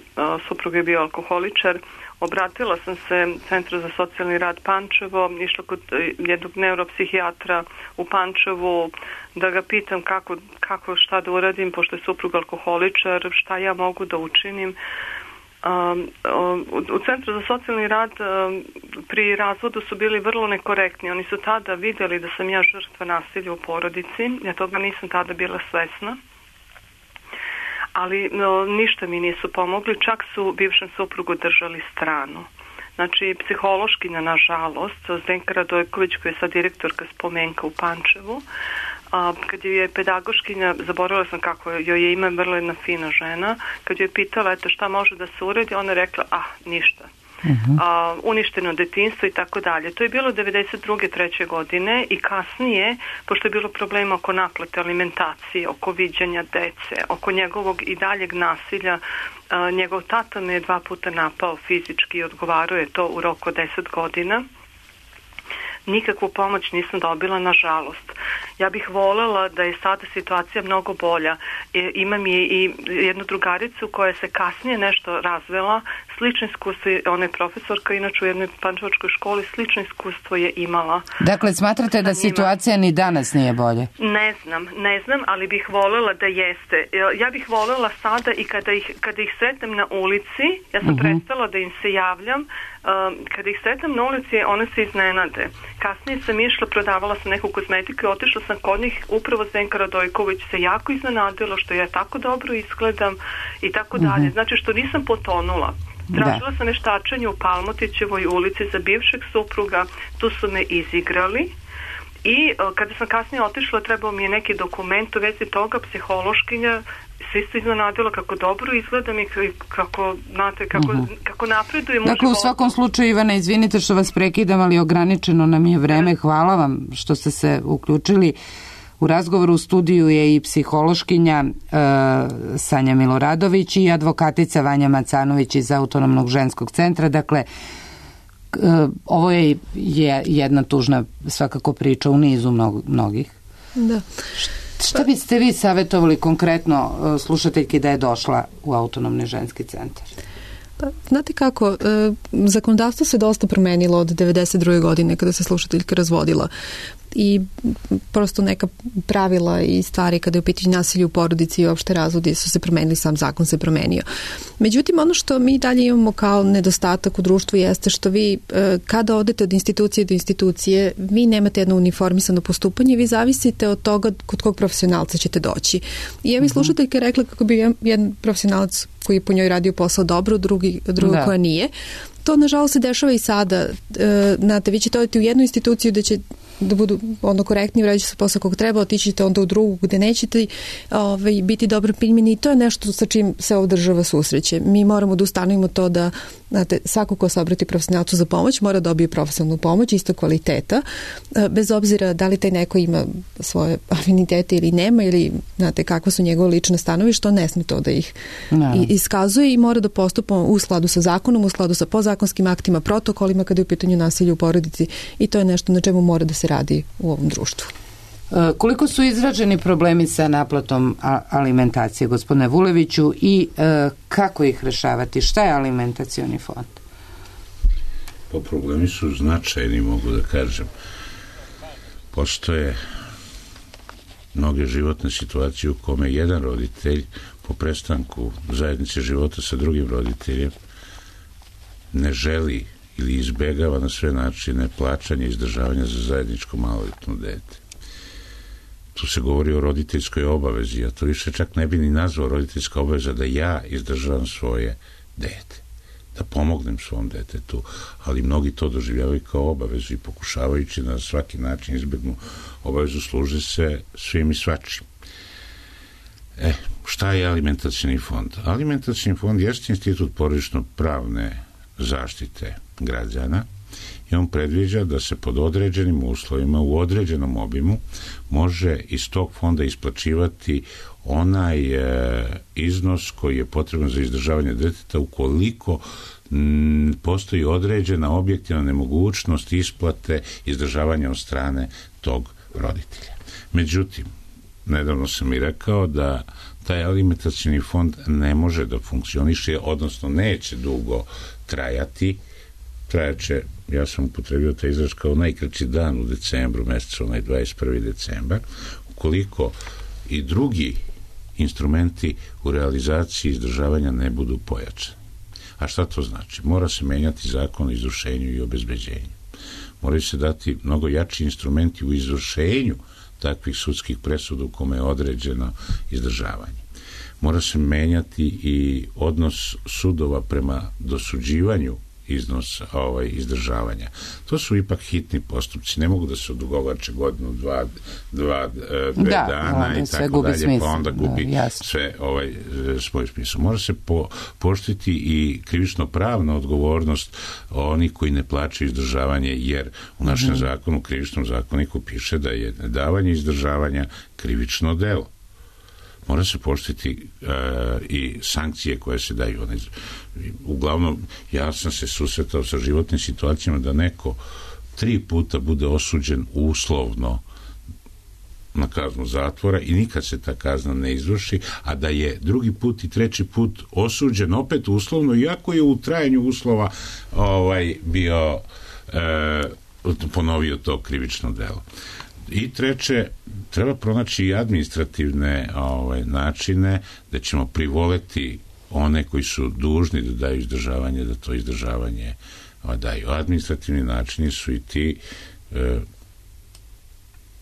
suprug je bio alkoholičar. Obratila sam se Centru za socijalni rad Pančevo, išla kod jednog neuropsihijatra u Pančevu da ga pitam kako, kako šta da uradim, pošto je suprug alkoholičar, šta ja mogu da učinim. Um, u Centru za socijalni rad um, pri razvodu su bili vrlo nekorektni. Oni su tada vidjeli da sam ja žrtva nasilja u porodici. Ja toga nisam tada bila svesna. Ali no, ništa mi nisu pomogli, čak su bivšem suprugu držali stranu. Znači, psihološkinja, nažalost, Zdenka Radojković, koja je sad direktorka Spomenka u Pančevu, a, kad je pedagoškinja, zaboravila sam kako joj je ime, vrlo jedna fina žena, kad joj je pitala, eto, šta može da se uredi, ona je rekla, ah, ništa. Uh-huh. A, uništeno detinjstvo i tako dalje. To je bilo devedeset druge treće godine i kasnije, pošto je bilo problema oko naplate alimentacije, oko viđanja dece, oko njegovog i daljeg nasilja, a, njegov tata me je dva puta napao fizički i odgovarao je to u roku od deset godina. Nikakvu pomoć nisam dobila, nažalost. Ja bih voljela da je sada situacija mnogo bolja. E, imam i, i jednu drugaricu koja se kasnije nešto razvela, slično iskustvo, ona je profesorka, inače u jednoj pančevačkoj školi, slično iskustvo je imala. Dakle, smatrate da situacija ni danas nije bolje? Ne znam, ne znam, ali bih voljela da jeste. Ja bih voljela sada i kada ih, kada ih sretnem na ulici, ja sam uh-huh. prestala da im se javljam, um, kada ih sretnem na ulici, one se iznenade. Kasnije sam išla, prodavala sam neku kozmetiku i otišla sam kod njih, upravo Zdenka Radojković se jako iznenadila što ja tako dobro izgledam i tako uh-huh. dalje. Znači što nisam potonula. Tražila da. sam veštačenje u Palmotićevoj ulici za bivšeg supruga, tu su me izigrali i kada sam kasnije otišla, trebao mi je neki dokument u vezi toga, psihološkinja se isto iznenadila kako dobro izgledam i kako, znate, kako, uh-huh. kako napredujem. Dakle, u svakom slučaju, Ivana, izvinite što vas prekidam, ali ograničeno nam je vreme. Hvala vam što ste se uključili. U razgovoru u studiju je i psihološkinja e, Sanja Miloradović i advokatica Vanja Macanović iz Autonomnog ženskog centra. Dakle, e, ovo je, je jedna tužna svakako priča u nizu mnog, mnogih. Da. Šta biste vi savjetovali konkretno slušateljki da je došla u Autonomni ženski centar? Pa, znate kako, e, zakonodavstvo se dosta promenilo od devedeset druge godine kada se slušateljka razvodila i prosto neka pravila i stvari kada je u pitanju nasilja u porodici i uopšte razvodi su se promenili, sam zakon se promenio. Međutim, ono što mi dalje imamo kao nedostatak u društvu jeste što vi kada odete od institucije do institucije, vi nemate jedno uniformisano postupanje, vi zavisite od toga kod kog profesionalca ćete doći. I ja mi slušateljka rekla kako bi jedan profesionalac koji je po njoj radio posao dobro, drugi, drugo koja nije. To, nažalost, se dešava i sada. Znate, vi ćete odeti u jednu instituciju da će da budu onda korektni, vraćate se posao kog treba, otići ćete onda u drugu gde nećete ovaj, biti dobro primjeni i to je nešto sa čim se ova država susreće. Mi moramo da ustanovimo to da znate, svako ko se obrati profesionalcu za pomoć mora da dobije profesionalnu pomoć, isto kvaliteta, bez obzira da li taj neko ima svoje afinitete ili nema ili znate, kakva su njegove lične stanovišta, on ne sme to da ih no. iskazuje i mora da postupa u skladu sa zakonom, u skladu sa podzakonskim aktima, protokolima kada je u pitanju nasilja u porodici i to je nešto na čemu mora da se radi u ovom društvu. Koliko su izraženi problemi sa naplatom alimentacije, gospodine Vuleviću, i e, kako ih rešavati? Šta je alimentacioni fond? Pa problemi su značajni, mogu da kažem. Postoje mnoge životne situacije u kome jedan roditelj po prestanku zajednice života sa drugim roditeljem ne želi ili izbegava na sve načine plaćanje i izdržavanja za zajedničko maloletno dete. Tu se govori o roditeljskoj obavezi, ja to više čak ne bi ni nazvao roditeljska obaveza da ja izdržavam svoje dete, da pomognem svom detetu, ali mnogi to doživljavaju kao obavezu i pokušavajući na svaki način izbegnu obavezu služe se svim i svačim. E, šta je alimentacioni fond? Alimentacioni fond jeste institut porodično-pravne zaštite građana i on predviđa da se pod određenim uslovima u određenom obimu može iz tog fonda isplaćivati onaj e, iznos koji je potreban za izdržavanje deteta ukoliko m, postoji određena objektivna nemogućnost isplate izdržavanja od strane tog roditelja. Međutim, nedavno sam i rekao da taj alimentacioni fond ne može da funkcioniše, odnosno neće dugo trajati, trajaće, ja sam upotrebio taj izraz kao najkraći dan u decembru mesecu, onaj dvadeset prvi decembar, ukoliko i drugi instrumenti u realizaciji izdržavanja ne budu pojačani. A šta to znači? Mora se menjati zakon o izvršenju i obezbeđenju. Moraju se dati mnogo jači instrumenti u izvršenju takvih sudskih presuda u kome je određeno izdržavanje. Mora se menjati i odnos sudova prema dosuđivanju iznosa ovaj, izdržavanja. To su ipak hitni postupci, ne mogu da se odugovlače godinu, dva, dva dve da, dana i tako dalje, smisla. Pa onda gubi da, sve ovaj, svoj smisao. Mora se po, poštiti i krivično pravna odgovornost onih koji ne plaćaju izdržavanje, jer u našem mm-hmm. zakonu, krivičnom zakoniku piše da je davanje izdržavanja krivično delo. Mora se poštiti uh, i sankcije koje se daju. Uglavnom, ja sam se susretao sa životnim situacijama da neko tri puta bude osuđen uslovno na kaznu zatvora i nikad se ta kazna ne izvrši, a da je drugi put i treći put osuđen opet uslovno, iako je u trajanju uslova ovaj, bio uh, ponovio to krivično delo. I treće, treba pronaći i administrativne ovaj, načine da ćemo privoleti one koji su dužni da daju izdržavanje, da to izdržavanje ovaj, daju. Administrativni načini su i ti e,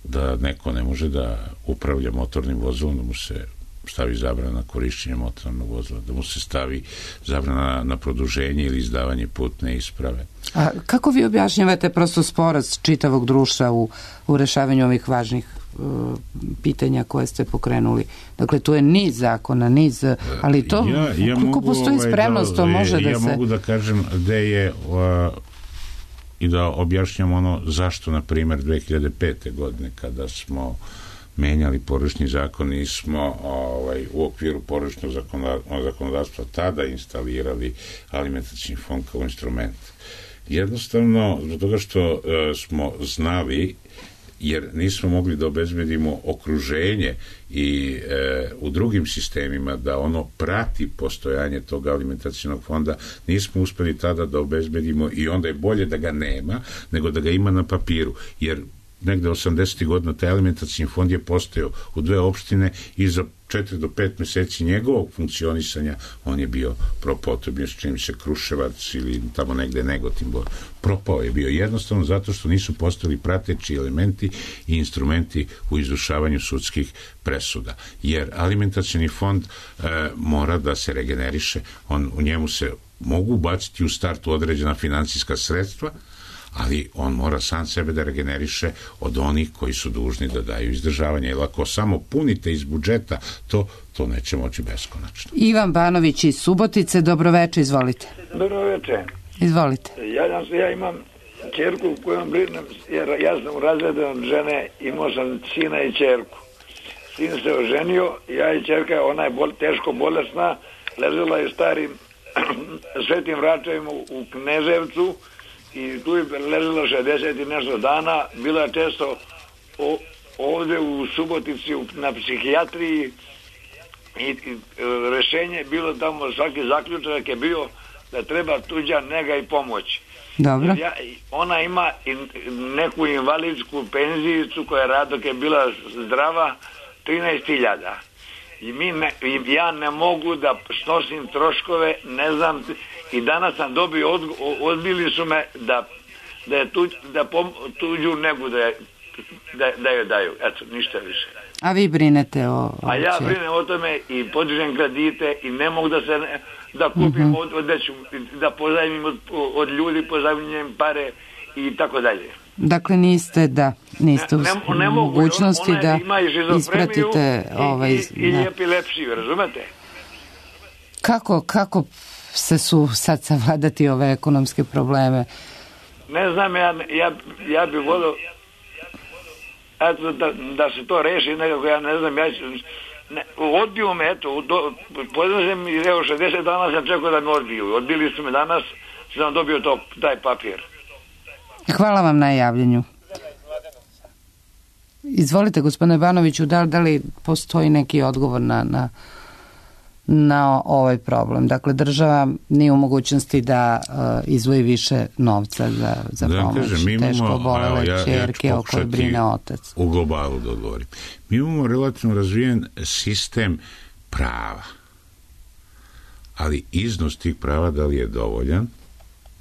da neko ne može da upravlja motornim vozilom, da mu se stavi zabrana korišćenja motornog vozila, da mu se stavi zabrana na produženje ili izdavanje putne isprave. A kako vi objašnjavate prosto sporast čitavog društva u, u rešavanju ovih važnih uh, pitanja koje ste pokrenuli? Dakle, tu je niz zakona, niz, ali to, ja, ja koliko postoji ovaj, spremnost, to može da, da ja se... Ja mogu da kažem da je uh, i da objašnjam ono zašto, na primjer, dve hiljade pete. godine, kada smo menjali porodični zakon i smo ovaj, u okviru porodičnog zakonodavstva tada instalirali alimentacioni fond kao instrument. Jednostavno, zbog toga što uh, smo znali, jer nismo mogli da obezbedimo okruženje i e, u drugim sistemima da ono prati postojanje tog alimentacionog fonda, nismo uspeli tada da obezbedimo i onda je bolje da ga nema nego da ga ima na papiru, jer negde osamdesetih godina taj alimentacioni fond je postojao u dve opštine i za četiri do pet meseci njegovog funkcionisanja on je bio propotrebno, s čim se Kruševac ili tamo negde Negotin propao je bio jednostavno zato što nisu postojali prateći elementi i instrumenti u izvršavanju sudskih presuda. Jer alimentacioni fond e, mora da se regeneriše, on, u njemu se mogu ubaciti u startu određena finansijska sredstva, ali on mora sam sebe da regeneriše od onih koji su dužni da daju izdržavanje, jer ako samo punite iz budžeta, to, to neće moći beskonačno. Ivan Banović iz Subotice, dobroveče, izvolite. Dobroveče. Izvolite. Ja, ja imam čerku kojom brinem, jer ja sam razredan od žene, imao sam sina i čerku. Sin se oženio, ja i čerka, ona je bol, teško bolesna, ležela je starim Svetim Vračevima u Kneževcu i tu je ležela šezdeset i nešto dana, bila je često o, ovde u Subotici na psihijatriji i, i rešenje je bilo tamo, svaki zaključak je bio da treba tuđa nega i pomoć. Dobro. Ja, ona ima neku invalidsku penzijicu koja rad dok je bila zdrava trinaest hiljada. I mi ne, ja ne mogu da snosim troškove, ne znam, i danas sam dobio, od, odbili su me da, da, je tuđ, da pom, tuđu negu da, je, da, da joj daju. Eto, ništa više. A vi brinete o... o A ja brinem o tome i podižem kredite i ne mogu da se ne, da kupim uh-huh. od, od deću, da pozajmim od, od ljudi, pozajmim pare i tako dalje. Dakle, niste da niste ne, u ne, ne mogućnosti ona, ona da ispratite i, ovaj... I, i, i epilepsiju, razumete? Kako, kako se su sad savladati ove ekonomske probleme? Ne znam, ja, ja, ja bih volio eto, da, da se to reši nekako, ja ne znam, ja ne, odbiju me, eto, podrazim i evo šezdeset dana sam čekao da me odbiju. Odbili su me danas, sam dobio to, taj papir. Hvala vam na javljanju. Izvolite, gospodine Banoviću, da, da li postoji neki odgovor na, na, na ovaj problem? Dakle, država nije u mogućnosti da uh, izvoji više novca za, za da, pomoć kažem, mi imamo, teško bolele ja, čerke ja o kojoj brine otac. U globalu da odgovorim. Mi imamo relativno razvijen sistem prava, ali iznos tih prava da li je dovoljan,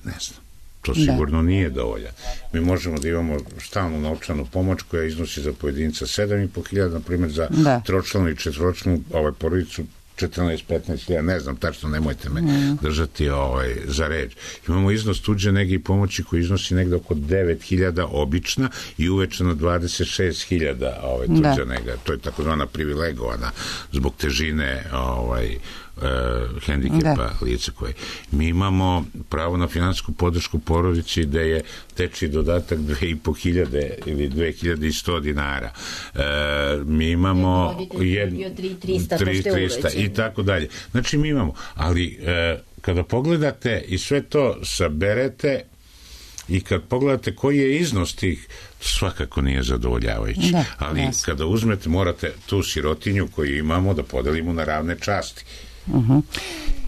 ne znam. To sigurno da. nije dovoljan. Mi možemo da imamo stalnu novčanu pomoć koja iznosi za pojedinca sedam i po hiljada, na primjer za da. tročlanu i četvoročlanu ovaj, porodicu četrnaest petnaest hiljada, ne znam tačno, nemojte me mm. držati ovaj, za reč. Imamo iznos tuđe nege i pomoći koji iznosi negde oko devet hiljada obična i uvećano dvadeset šest hiljada ovaj, tuđa da. nega. To je takozvana privilegovana zbog težine ovaj, Uh, hendikepa da. lice koje. Mi imamo pravo na finansijsku podršku porodici gde je teči dodatak dve i po hiljade ili dve hiljade i sto dinara. Uh, mi imamo tri trista i tako dalje. Znači mi imamo, ali uh, kada pogledate i sve to saberete i kad pogledate koji je iznos tih, svakako nije zadovoljavajući. Da, ali jasno. Kada uzmete, morate tu sirotinju koju imamo da podelimo na ravne časti. Uh-huh.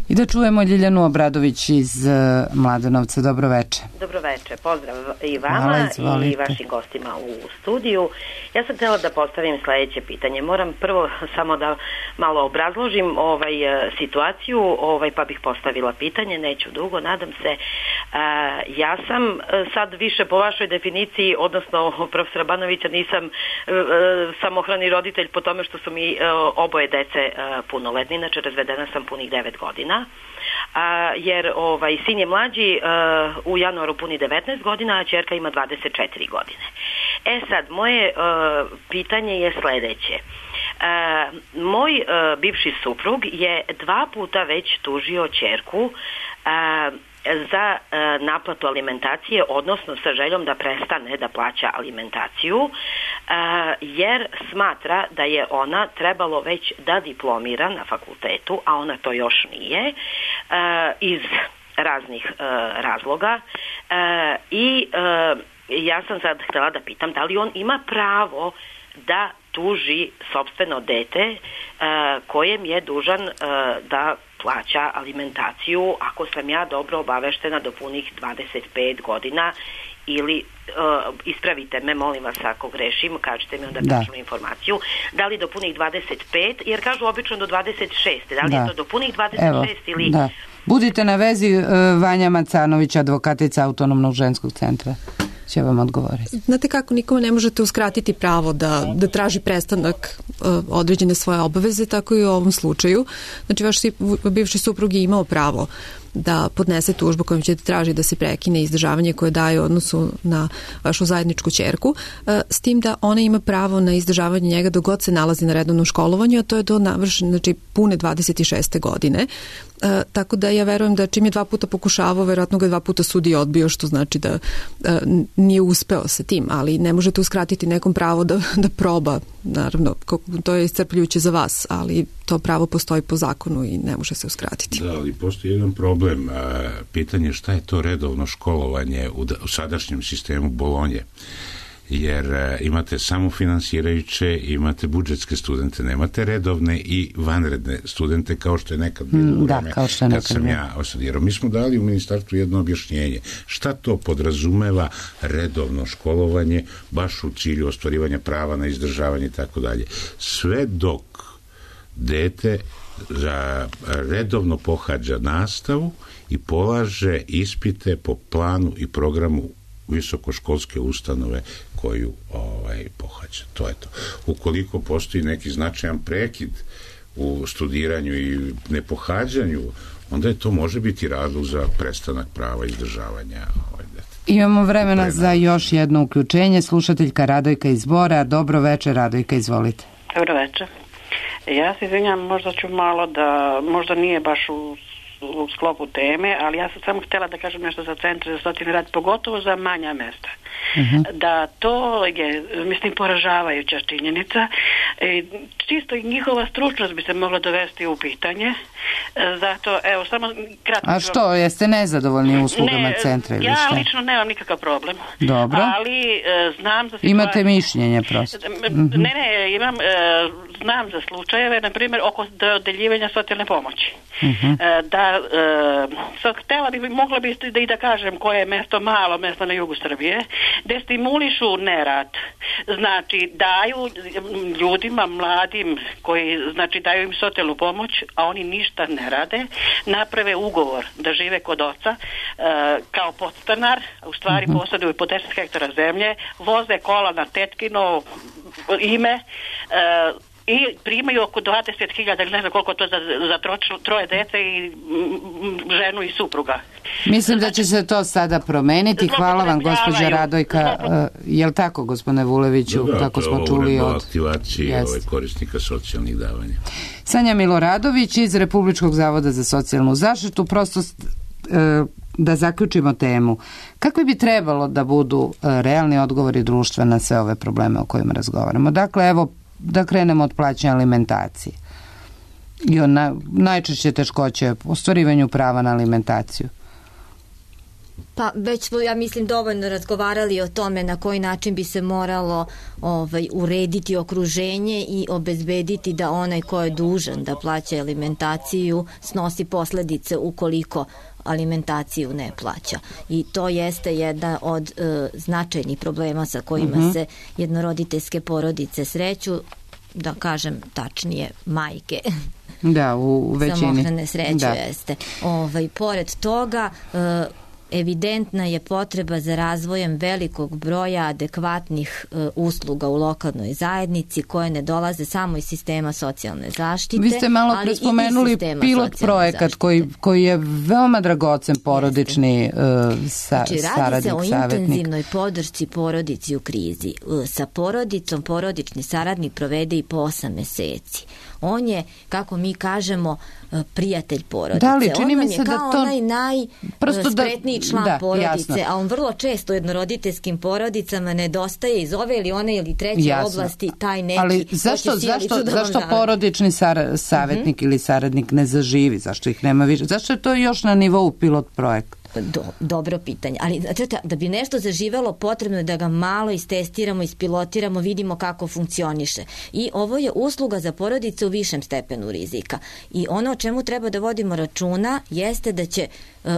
I da čujemo Ljiljanu Obradović iz uh, Mladenovca. Dobro veče. Dobro veče, pozdrav i vama Hvala, i vašim gostima u studiju. Ja sam htjela da postavim sledeće pitanje. Moram prvo samo da malo obrazložim ovaj situaciju, ovaj pa bih postavila pitanje, neću dugo, nadam se. Uh, ja sam sad više po vašoj definiciji, odnosno profesora Banovića, nisam uh, samohrani roditelj po tome što su mi uh, oboje dece uh, punoletni, inače razvedena sam punih devet godina. A, jer ovaj, sin je mlađi, uh, u januaru puni devetnaest godina, a ćerka ima dvadeset četiri godine. E sad, moje uh, pitanje je sledeće. Uh, moj uh, bivši suprug je dva puta već tužio ćerku uh, za uh, naplatu alimentacije, odnosno sa željom da prestane da plaća alimentaciju, uh, jer smatra da je ona trebalo već da diplomira na fakultetu, a ona to još nije, uh, iz raznih uh, razloga. Uh, I uh, ja sam sad htjela da pitam da li on ima pravo da tuži sopstveno dete uh, kojem je dužan uh, da plaća alimentaciju, ako sam ja dobro obaveštena, do punih dvadeset pet godina, ili uh, ispravite me, molim vas, ako grešim, kažete mi onda tačnu informaciju, da li do punih dvadeset pet, jer kažu obično do dvadeset šest, da li da. je to do punih dvadeset šest Evo, ili... Da. Budite na vezi, uh, Vanja Macanović, advokatica Autonomnog ženskog centra, će vam odgovoriti. Znate kako, nikome ne možete uskratiti pravo da, da traži prestanak uh, određene svoje obaveze, tako i u ovom slučaju. Znači, vaš bivši suprug je imao pravo da podnese tužbu kojom ćete tražiti da se prekine izdržavanje koje daje u odnosu na vašu zajedničku ćerku, s tim da ona ima pravo na izdržavanje njega dok god se nalazi na redovnom školovanju, a to je do navršene, znači pune dvadeset šeste godine. E, tako da ja verujem da čim je dva puta pokušavao, verovatno ga dva puta sudi odbio, što znači da e, nije uspeo sa tim, ali ne možete uskratiti nekom pravo da, da proba, naravno, to je iscrpljujuće za vas, ali to pravo postoji po zakonu i ne može se uskratiti. Da, ali postoji jedan problem, pitanje šta je to redovno školovanje u, u sadašnjem sistemu Bolonje. Jer imate samofinansirajuće, imate budžetske studente, nemate redovne i vanredne studente kao što je nekad bilo u vreme kad sam ja osadirao. Mi smo dali u ministarstvu jedno objašnjenje. Šta to podrazumeva redovno školovanje baš u cilju ostvarivanja prava na izdržavanje i tako dalje. Sve dok dete za redovno pohađa nastavu i polaže ispite po planu i programu visokoškolske ustanove koju ovaj, pohađa. To je to. Ukoliko postoji neki značajan prekid u studiranju i nepohađanju, onda je to može biti razlog za prestanak prava izdržavanja ovaj, deteta. Imamo vremena za još jedno uključenje. Slušateljka Radojka iz Bora. Dobro večer, Radojka, izvolite. Dobro večer. Ja se izvinjam, možda ću malo da, možda nije baš u u sklopu teme, ali ja sam samo htjela da kažem nešto za centre za socijalni rad, pogotovo za manja mesta. Uh-huh. Da to je, mislim, poražavajuća činjenica. E, čisto i njihova stručnost bi se mogla dovesti u pitanje. E, zato, evo, samo kratko... A što, jeste nezadovoljni uslugama ne, centra ili ja šta? Ja lično nemam nikakav problem. Dobro. Ali e, znam za... Imate situacije... mišljenje prosto. Uh-huh. Ne, ne, imam, e, znam za slučajeve, na primjer, oko dodeljivanja socijalne pomoći. Uh-huh. E, da, e, sad, htjela bi, mogla bi da i da kažem koje je mesto, malo mesto na jugu Srbije, gde stimulišu nerad, znači daju ljudima mladim koji znači daju im socijalnu pomoć, a oni ništa ne rade, naprave ugovor da žive kod oca e, kao podstanar, u stvari uh-huh. posjeduju po deset hektara zemlje, voze kola na tetkino ime, e, i primaju oko dvadeset hiljada ili ne znam koliko to za, za tro, troje dece i m, ženu i supruga. Mislim da će se to sada promeniti. Hvala vam, gospođa Radojka. Je li tako, gospodine Vuleviću, da, da, kako smo čuli od aktivacije ovaj, korisnika socijalnih davanja? Sanja Miloradović iz Republičkog zavoda za socijalnu zaštitu. Prosto e, da zaključimo temu. Kakvi bi trebalo da budu e, realni odgovori društva na sve ove probleme o kojima razgovaramo? Dakle, evo, da krenemo od plaćanja alimentacije i o na, najčešće teškoće u ostvarivanju prava na alimentaciju. Pa već smo, ja mislim, dovoljno razgovarali o tome na koji način bi se moralo ovaj, urediti okruženje i obezbediti da onaj ko je dužan da plaća alimentaciju snosi posledice ukoliko alimentaciju ne plaća. I to jeste jedna od e, značajnih problema sa kojima uh-huh. se jednoroditeljske porodice sreću, da kažem tačnije majke. Da, u većini. Samohrane sreće da. Jeste. Ovaj, pored toga, e, evidentna je potreba za razvojem velikog broja adekvatnih e, usluga u lokalnoj zajednici koje ne dolaze samo iz sistema socijalne zaštite. Vi ste malo pre spomenuli pilot projekat koji, koji je veoma dragocen porodični e, sa, znači, saradnik, radi se o savjetnik. intenzivnoj podršci porodici u krizi. E, sa porodicom porodični saradnik provede i po osam meseci. On je, kako mi kažemo, prijatelj porodice. Da li, čini mi se on je da kao to... onaj najspretniji da, član da, porodice, jasno. A on vrlo često jednoroditeljskim porodicama nedostaje iz ove ili one ili treće jasno. Oblasti taj neki... Ali zašto, zašto, zašto porodični sar, savjetnik uh-huh. ili saradnik ne zaživi? Zašto ih nema više? Zašto je to još na nivou pilot projekta? Do, dobro pitanje, ali znači, da bi nešto zaživelo potrebno je da ga malo istestiramo, ispilotiramo, vidimo kako funkcioniše. I ovo je usluga za porodice u višem stepenu rizika. I ono o čemu treba da vodimo računa jeste da će e,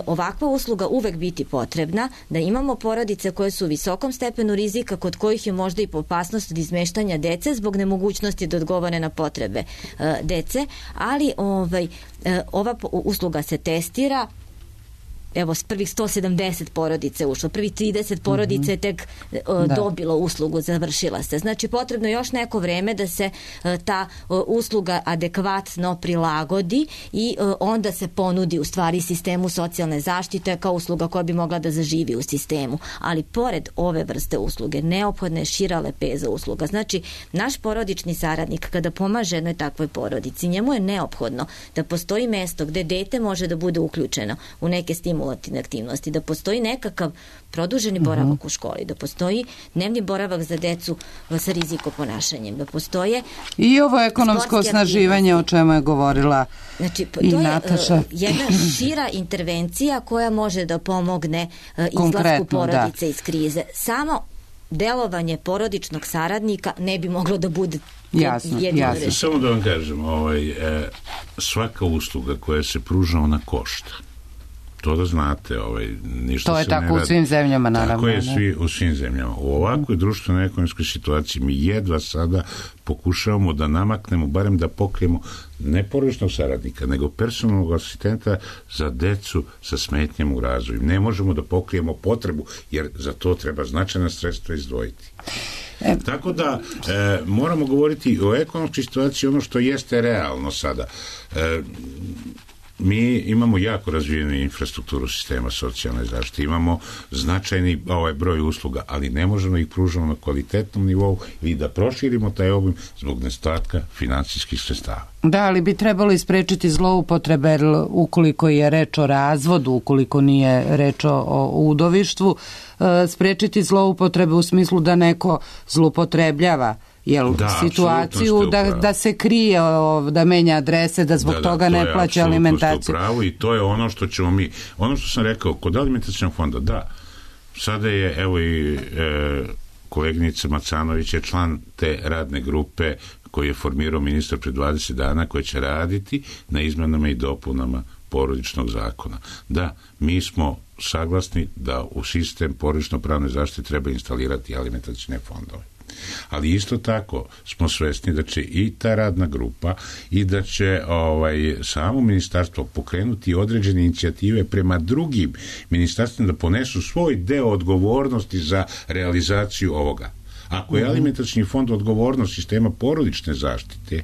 ovakva usluga uvek biti potrebna, da imamo porodice koje su u visokom stepenu rizika, kod kojih je možda i opasnost od izmeštanja dece zbog nemogućnosti da odgovore na potrebe e, dece, ali ovaj, e, ova usluga se testira evo, s prvih sto sedamdeset porodice ušlo, prvih trideset porodice je tek uh, dobilo uslugu, završila se. Znači, potrebno je još neko vreme da se uh, ta uh, usluga adekvatno prilagodi i uh, onda se ponudi u stvari sistemu socijalne zaštite kao usluga koja bi mogla da zaživi u sistemu. Ali pored ove vrste usluge, neophodna je šira lepeza usluga. Znači, naš porodični saradnik kada pomaže jednoj takvoj porodici, njemu je neophodno da postoji mesto gde dete može da bude uključeno u neke stimulativne aktivnosti, da postoji nekakav produženi boravak uh-huh. u školi, da postoji dnevni boravak za decu sa rizikoponašanjem, da postoje i ovo ekonomsko osnaživanje o čemu je govorila znači, i to Nataša. je uh, jedna šira intervencija koja može da pomogne uh, izlasku porodice da. iz krize. Samo delovanje porodičnog saradnika ne bi moglo da bude jasno, jasno. Samo da vam kažem, ovaj, e, svaka usluga koja se pruža, ona košta. To da znate, ovaj, ništa to je se tako ne radi. U svim zemljama, naravno. Tako je svi, u svim zemljama. U ovakvoj društvenoj ekonomskoj situaciji mi jedva sada pokušavamo da namaknemo, barem da pokrijemo ne porodičnog saradnika, nego personalnog asistenta za decu sa smetnjama u razvoju. Ne možemo da pokrijemo potrebu, jer za to treba značajna sredstva izdvojiti. E, Tako da e, moramo govoriti o ekonomskoj situaciji, ono što jeste realno sada. E, mi imamo jako razvijenu infrastrukturu sistema socijalne zaštite, imamo značajni ovaj broj usluga, ali ne možemo ih pružiti na kvalitetnom nivou i da proširimo taj obim zbog nedostatka finansijskih sredstava. Da, ali bi trebalo isprečiti zloupotrebe, jer ukoliko je reč o razvodu, ukoliko nije reč o udovištvu, sprečiti zloupotrebe u smislu da neko zloupotrebljava jel, da, situaciju da, da se krije, da menja adrese, da zbog da, da, toga ne plaća alimentaciju. Pravo i to je ono što ćemo mi, ono što sam rekao, kod alimentacijnog fonda, da, sada je, evo i e, koleginica Macanović je član te radne grupe koji je formirao ministar pred dvadeset dana, koji će raditi na izmenama i dopunama porodičnog zakona. Da, mi smo saglasni da u sistem porodično-pravne zaštite treba instalirati alimentacijne fondove. Ali isto tako smo svesni da će i ta radna grupa i da će ovaj, samo ministarstvo pokrenuti određene inicijative prema drugim ministarstvima da ponesu svoj deo odgovornosti za realizaciju ovoga. Ako je alimentacijni fond odgovornost sistema porodične zaštite,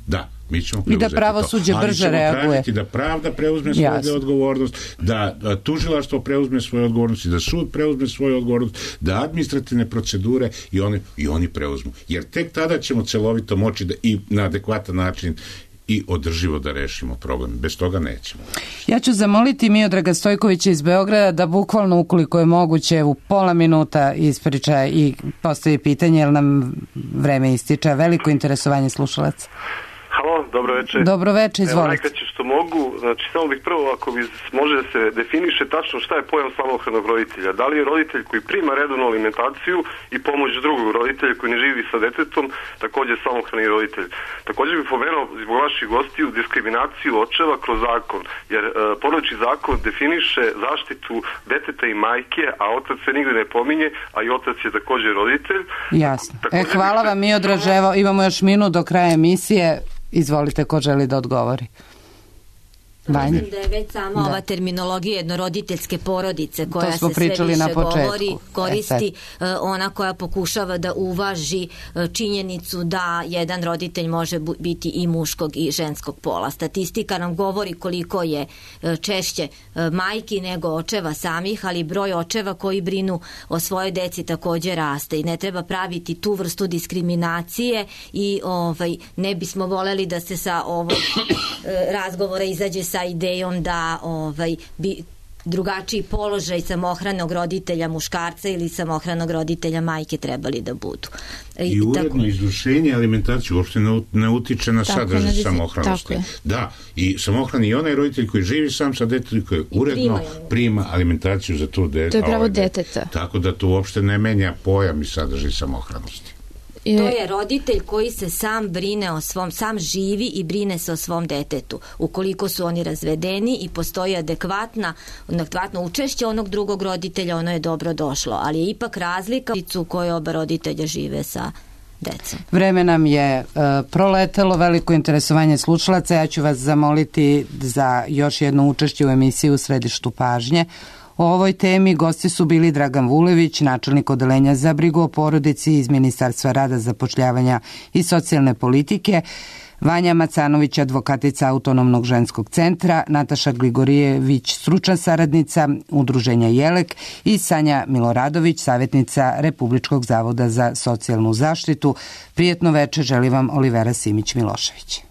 da, mi ćemo preuzeti i da pravosuđe to. brže reaguje. Da pravda preuzme svoju odgovornost, da, da tužilaštvo preuzme svoju odgovornost, da sud preuzme svoju odgovornost, da administrativne procedure i oni, i oni preuzmu. Jer tek tada ćemo celovito moći da i na adekvatan način i održivo da rešimo problem. Bez toga nećemo. Ja ću zamoliti Miodraga Stojkovića iz Beograda da bukvalno, ukoliko je moguće, u pola minuta ispriča i postavi pitanje, jer nam vreme ističe. Veliko interesovanje slušalaca. Halo, dobro večer. Dobro večer, izvolite. Evo najkraće što mogu, znači samo bih prvo, ako bi može da se definiše tačno šta je pojam samohranog roditelja. Da li je roditelj koji prima redovnu alimentaciju i pomoć drugog roditelja koji ne živi sa detetom, takođe samohrani roditelj. Takođe bih pomenuo zbog vaših gostiju diskriminaciju očeva kroz zakon, jer e, porodični zakon definiše zaštitu deteta i majke, a otac se nigde ne pominje, a i otac je takođe roditelj. Jasno. E, hvala vam, Miodraž, evo imamo još minut do kraja emisije. Izvolite, ko želi da odgovori. Mislim da je već sama da. ova terminologija jednoroditeljske porodice koja se sve više govori, koristi e, ona koja pokušava da uvaži e, činjenicu da jedan roditelj može biti i muškog i ženskog pola. Statistika nam govori koliko je e, češće e, majki nego očeva samih, ali broj očeva koji brinu o svojoj deci takođe raste i ne treba praviti tu vrstu diskriminacije i ovaj, ne bismo voleli da se sa ovog e, razgovora izađe sa idejom da ovaj, bi drugačiji položaj samohranog roditelja muškarca ili samohranog roditelja majke trebali da budu. I, I uredno tako... izvršenje alimentaciju uopšte ne, ne utiče na tako, sadržaj ne, samohranosti. Da, i samohrani i onaj roditelj koji živi sam sa detetom koji uredno prima, prima alimentaciju za to dete. To je pravo ovaj, deteta. Tako da to uopšte ne menja pojam i sadržaj samohranosti. To je roditelj koji se sam brine o svom, sam živi i brine se o svom detetu. Ukoliko su oni razvedeni i postoji adekvatna, adekvatno učešće onog drugog roditelja, ono je dobro došlo. Ali je ipak razlika u kojoj oba roditelja žive sa decom. Vreme nam je uh, proletelo, veliko interesovanje slušalaca. Ja ću vas zamoliti za još jedno učešće u emisiji U središtu pažnje. O ovoj temi gosti su bili Dragan Vulević, načelnik odeljenja za brigu o porodici iz Ministarstva rada, zapošljavanja i socijalne politike, Vanja Macanović, advokatica Autonomnog ženskog centra, Nataša Gligorijević, stručna saradnica Udruženja Jelek i Sanja Miloradović, savjetnica Republičkog zavoda za socijalnu zaštitu. Prijetno veče želi vam Olivera Simić-Milošević.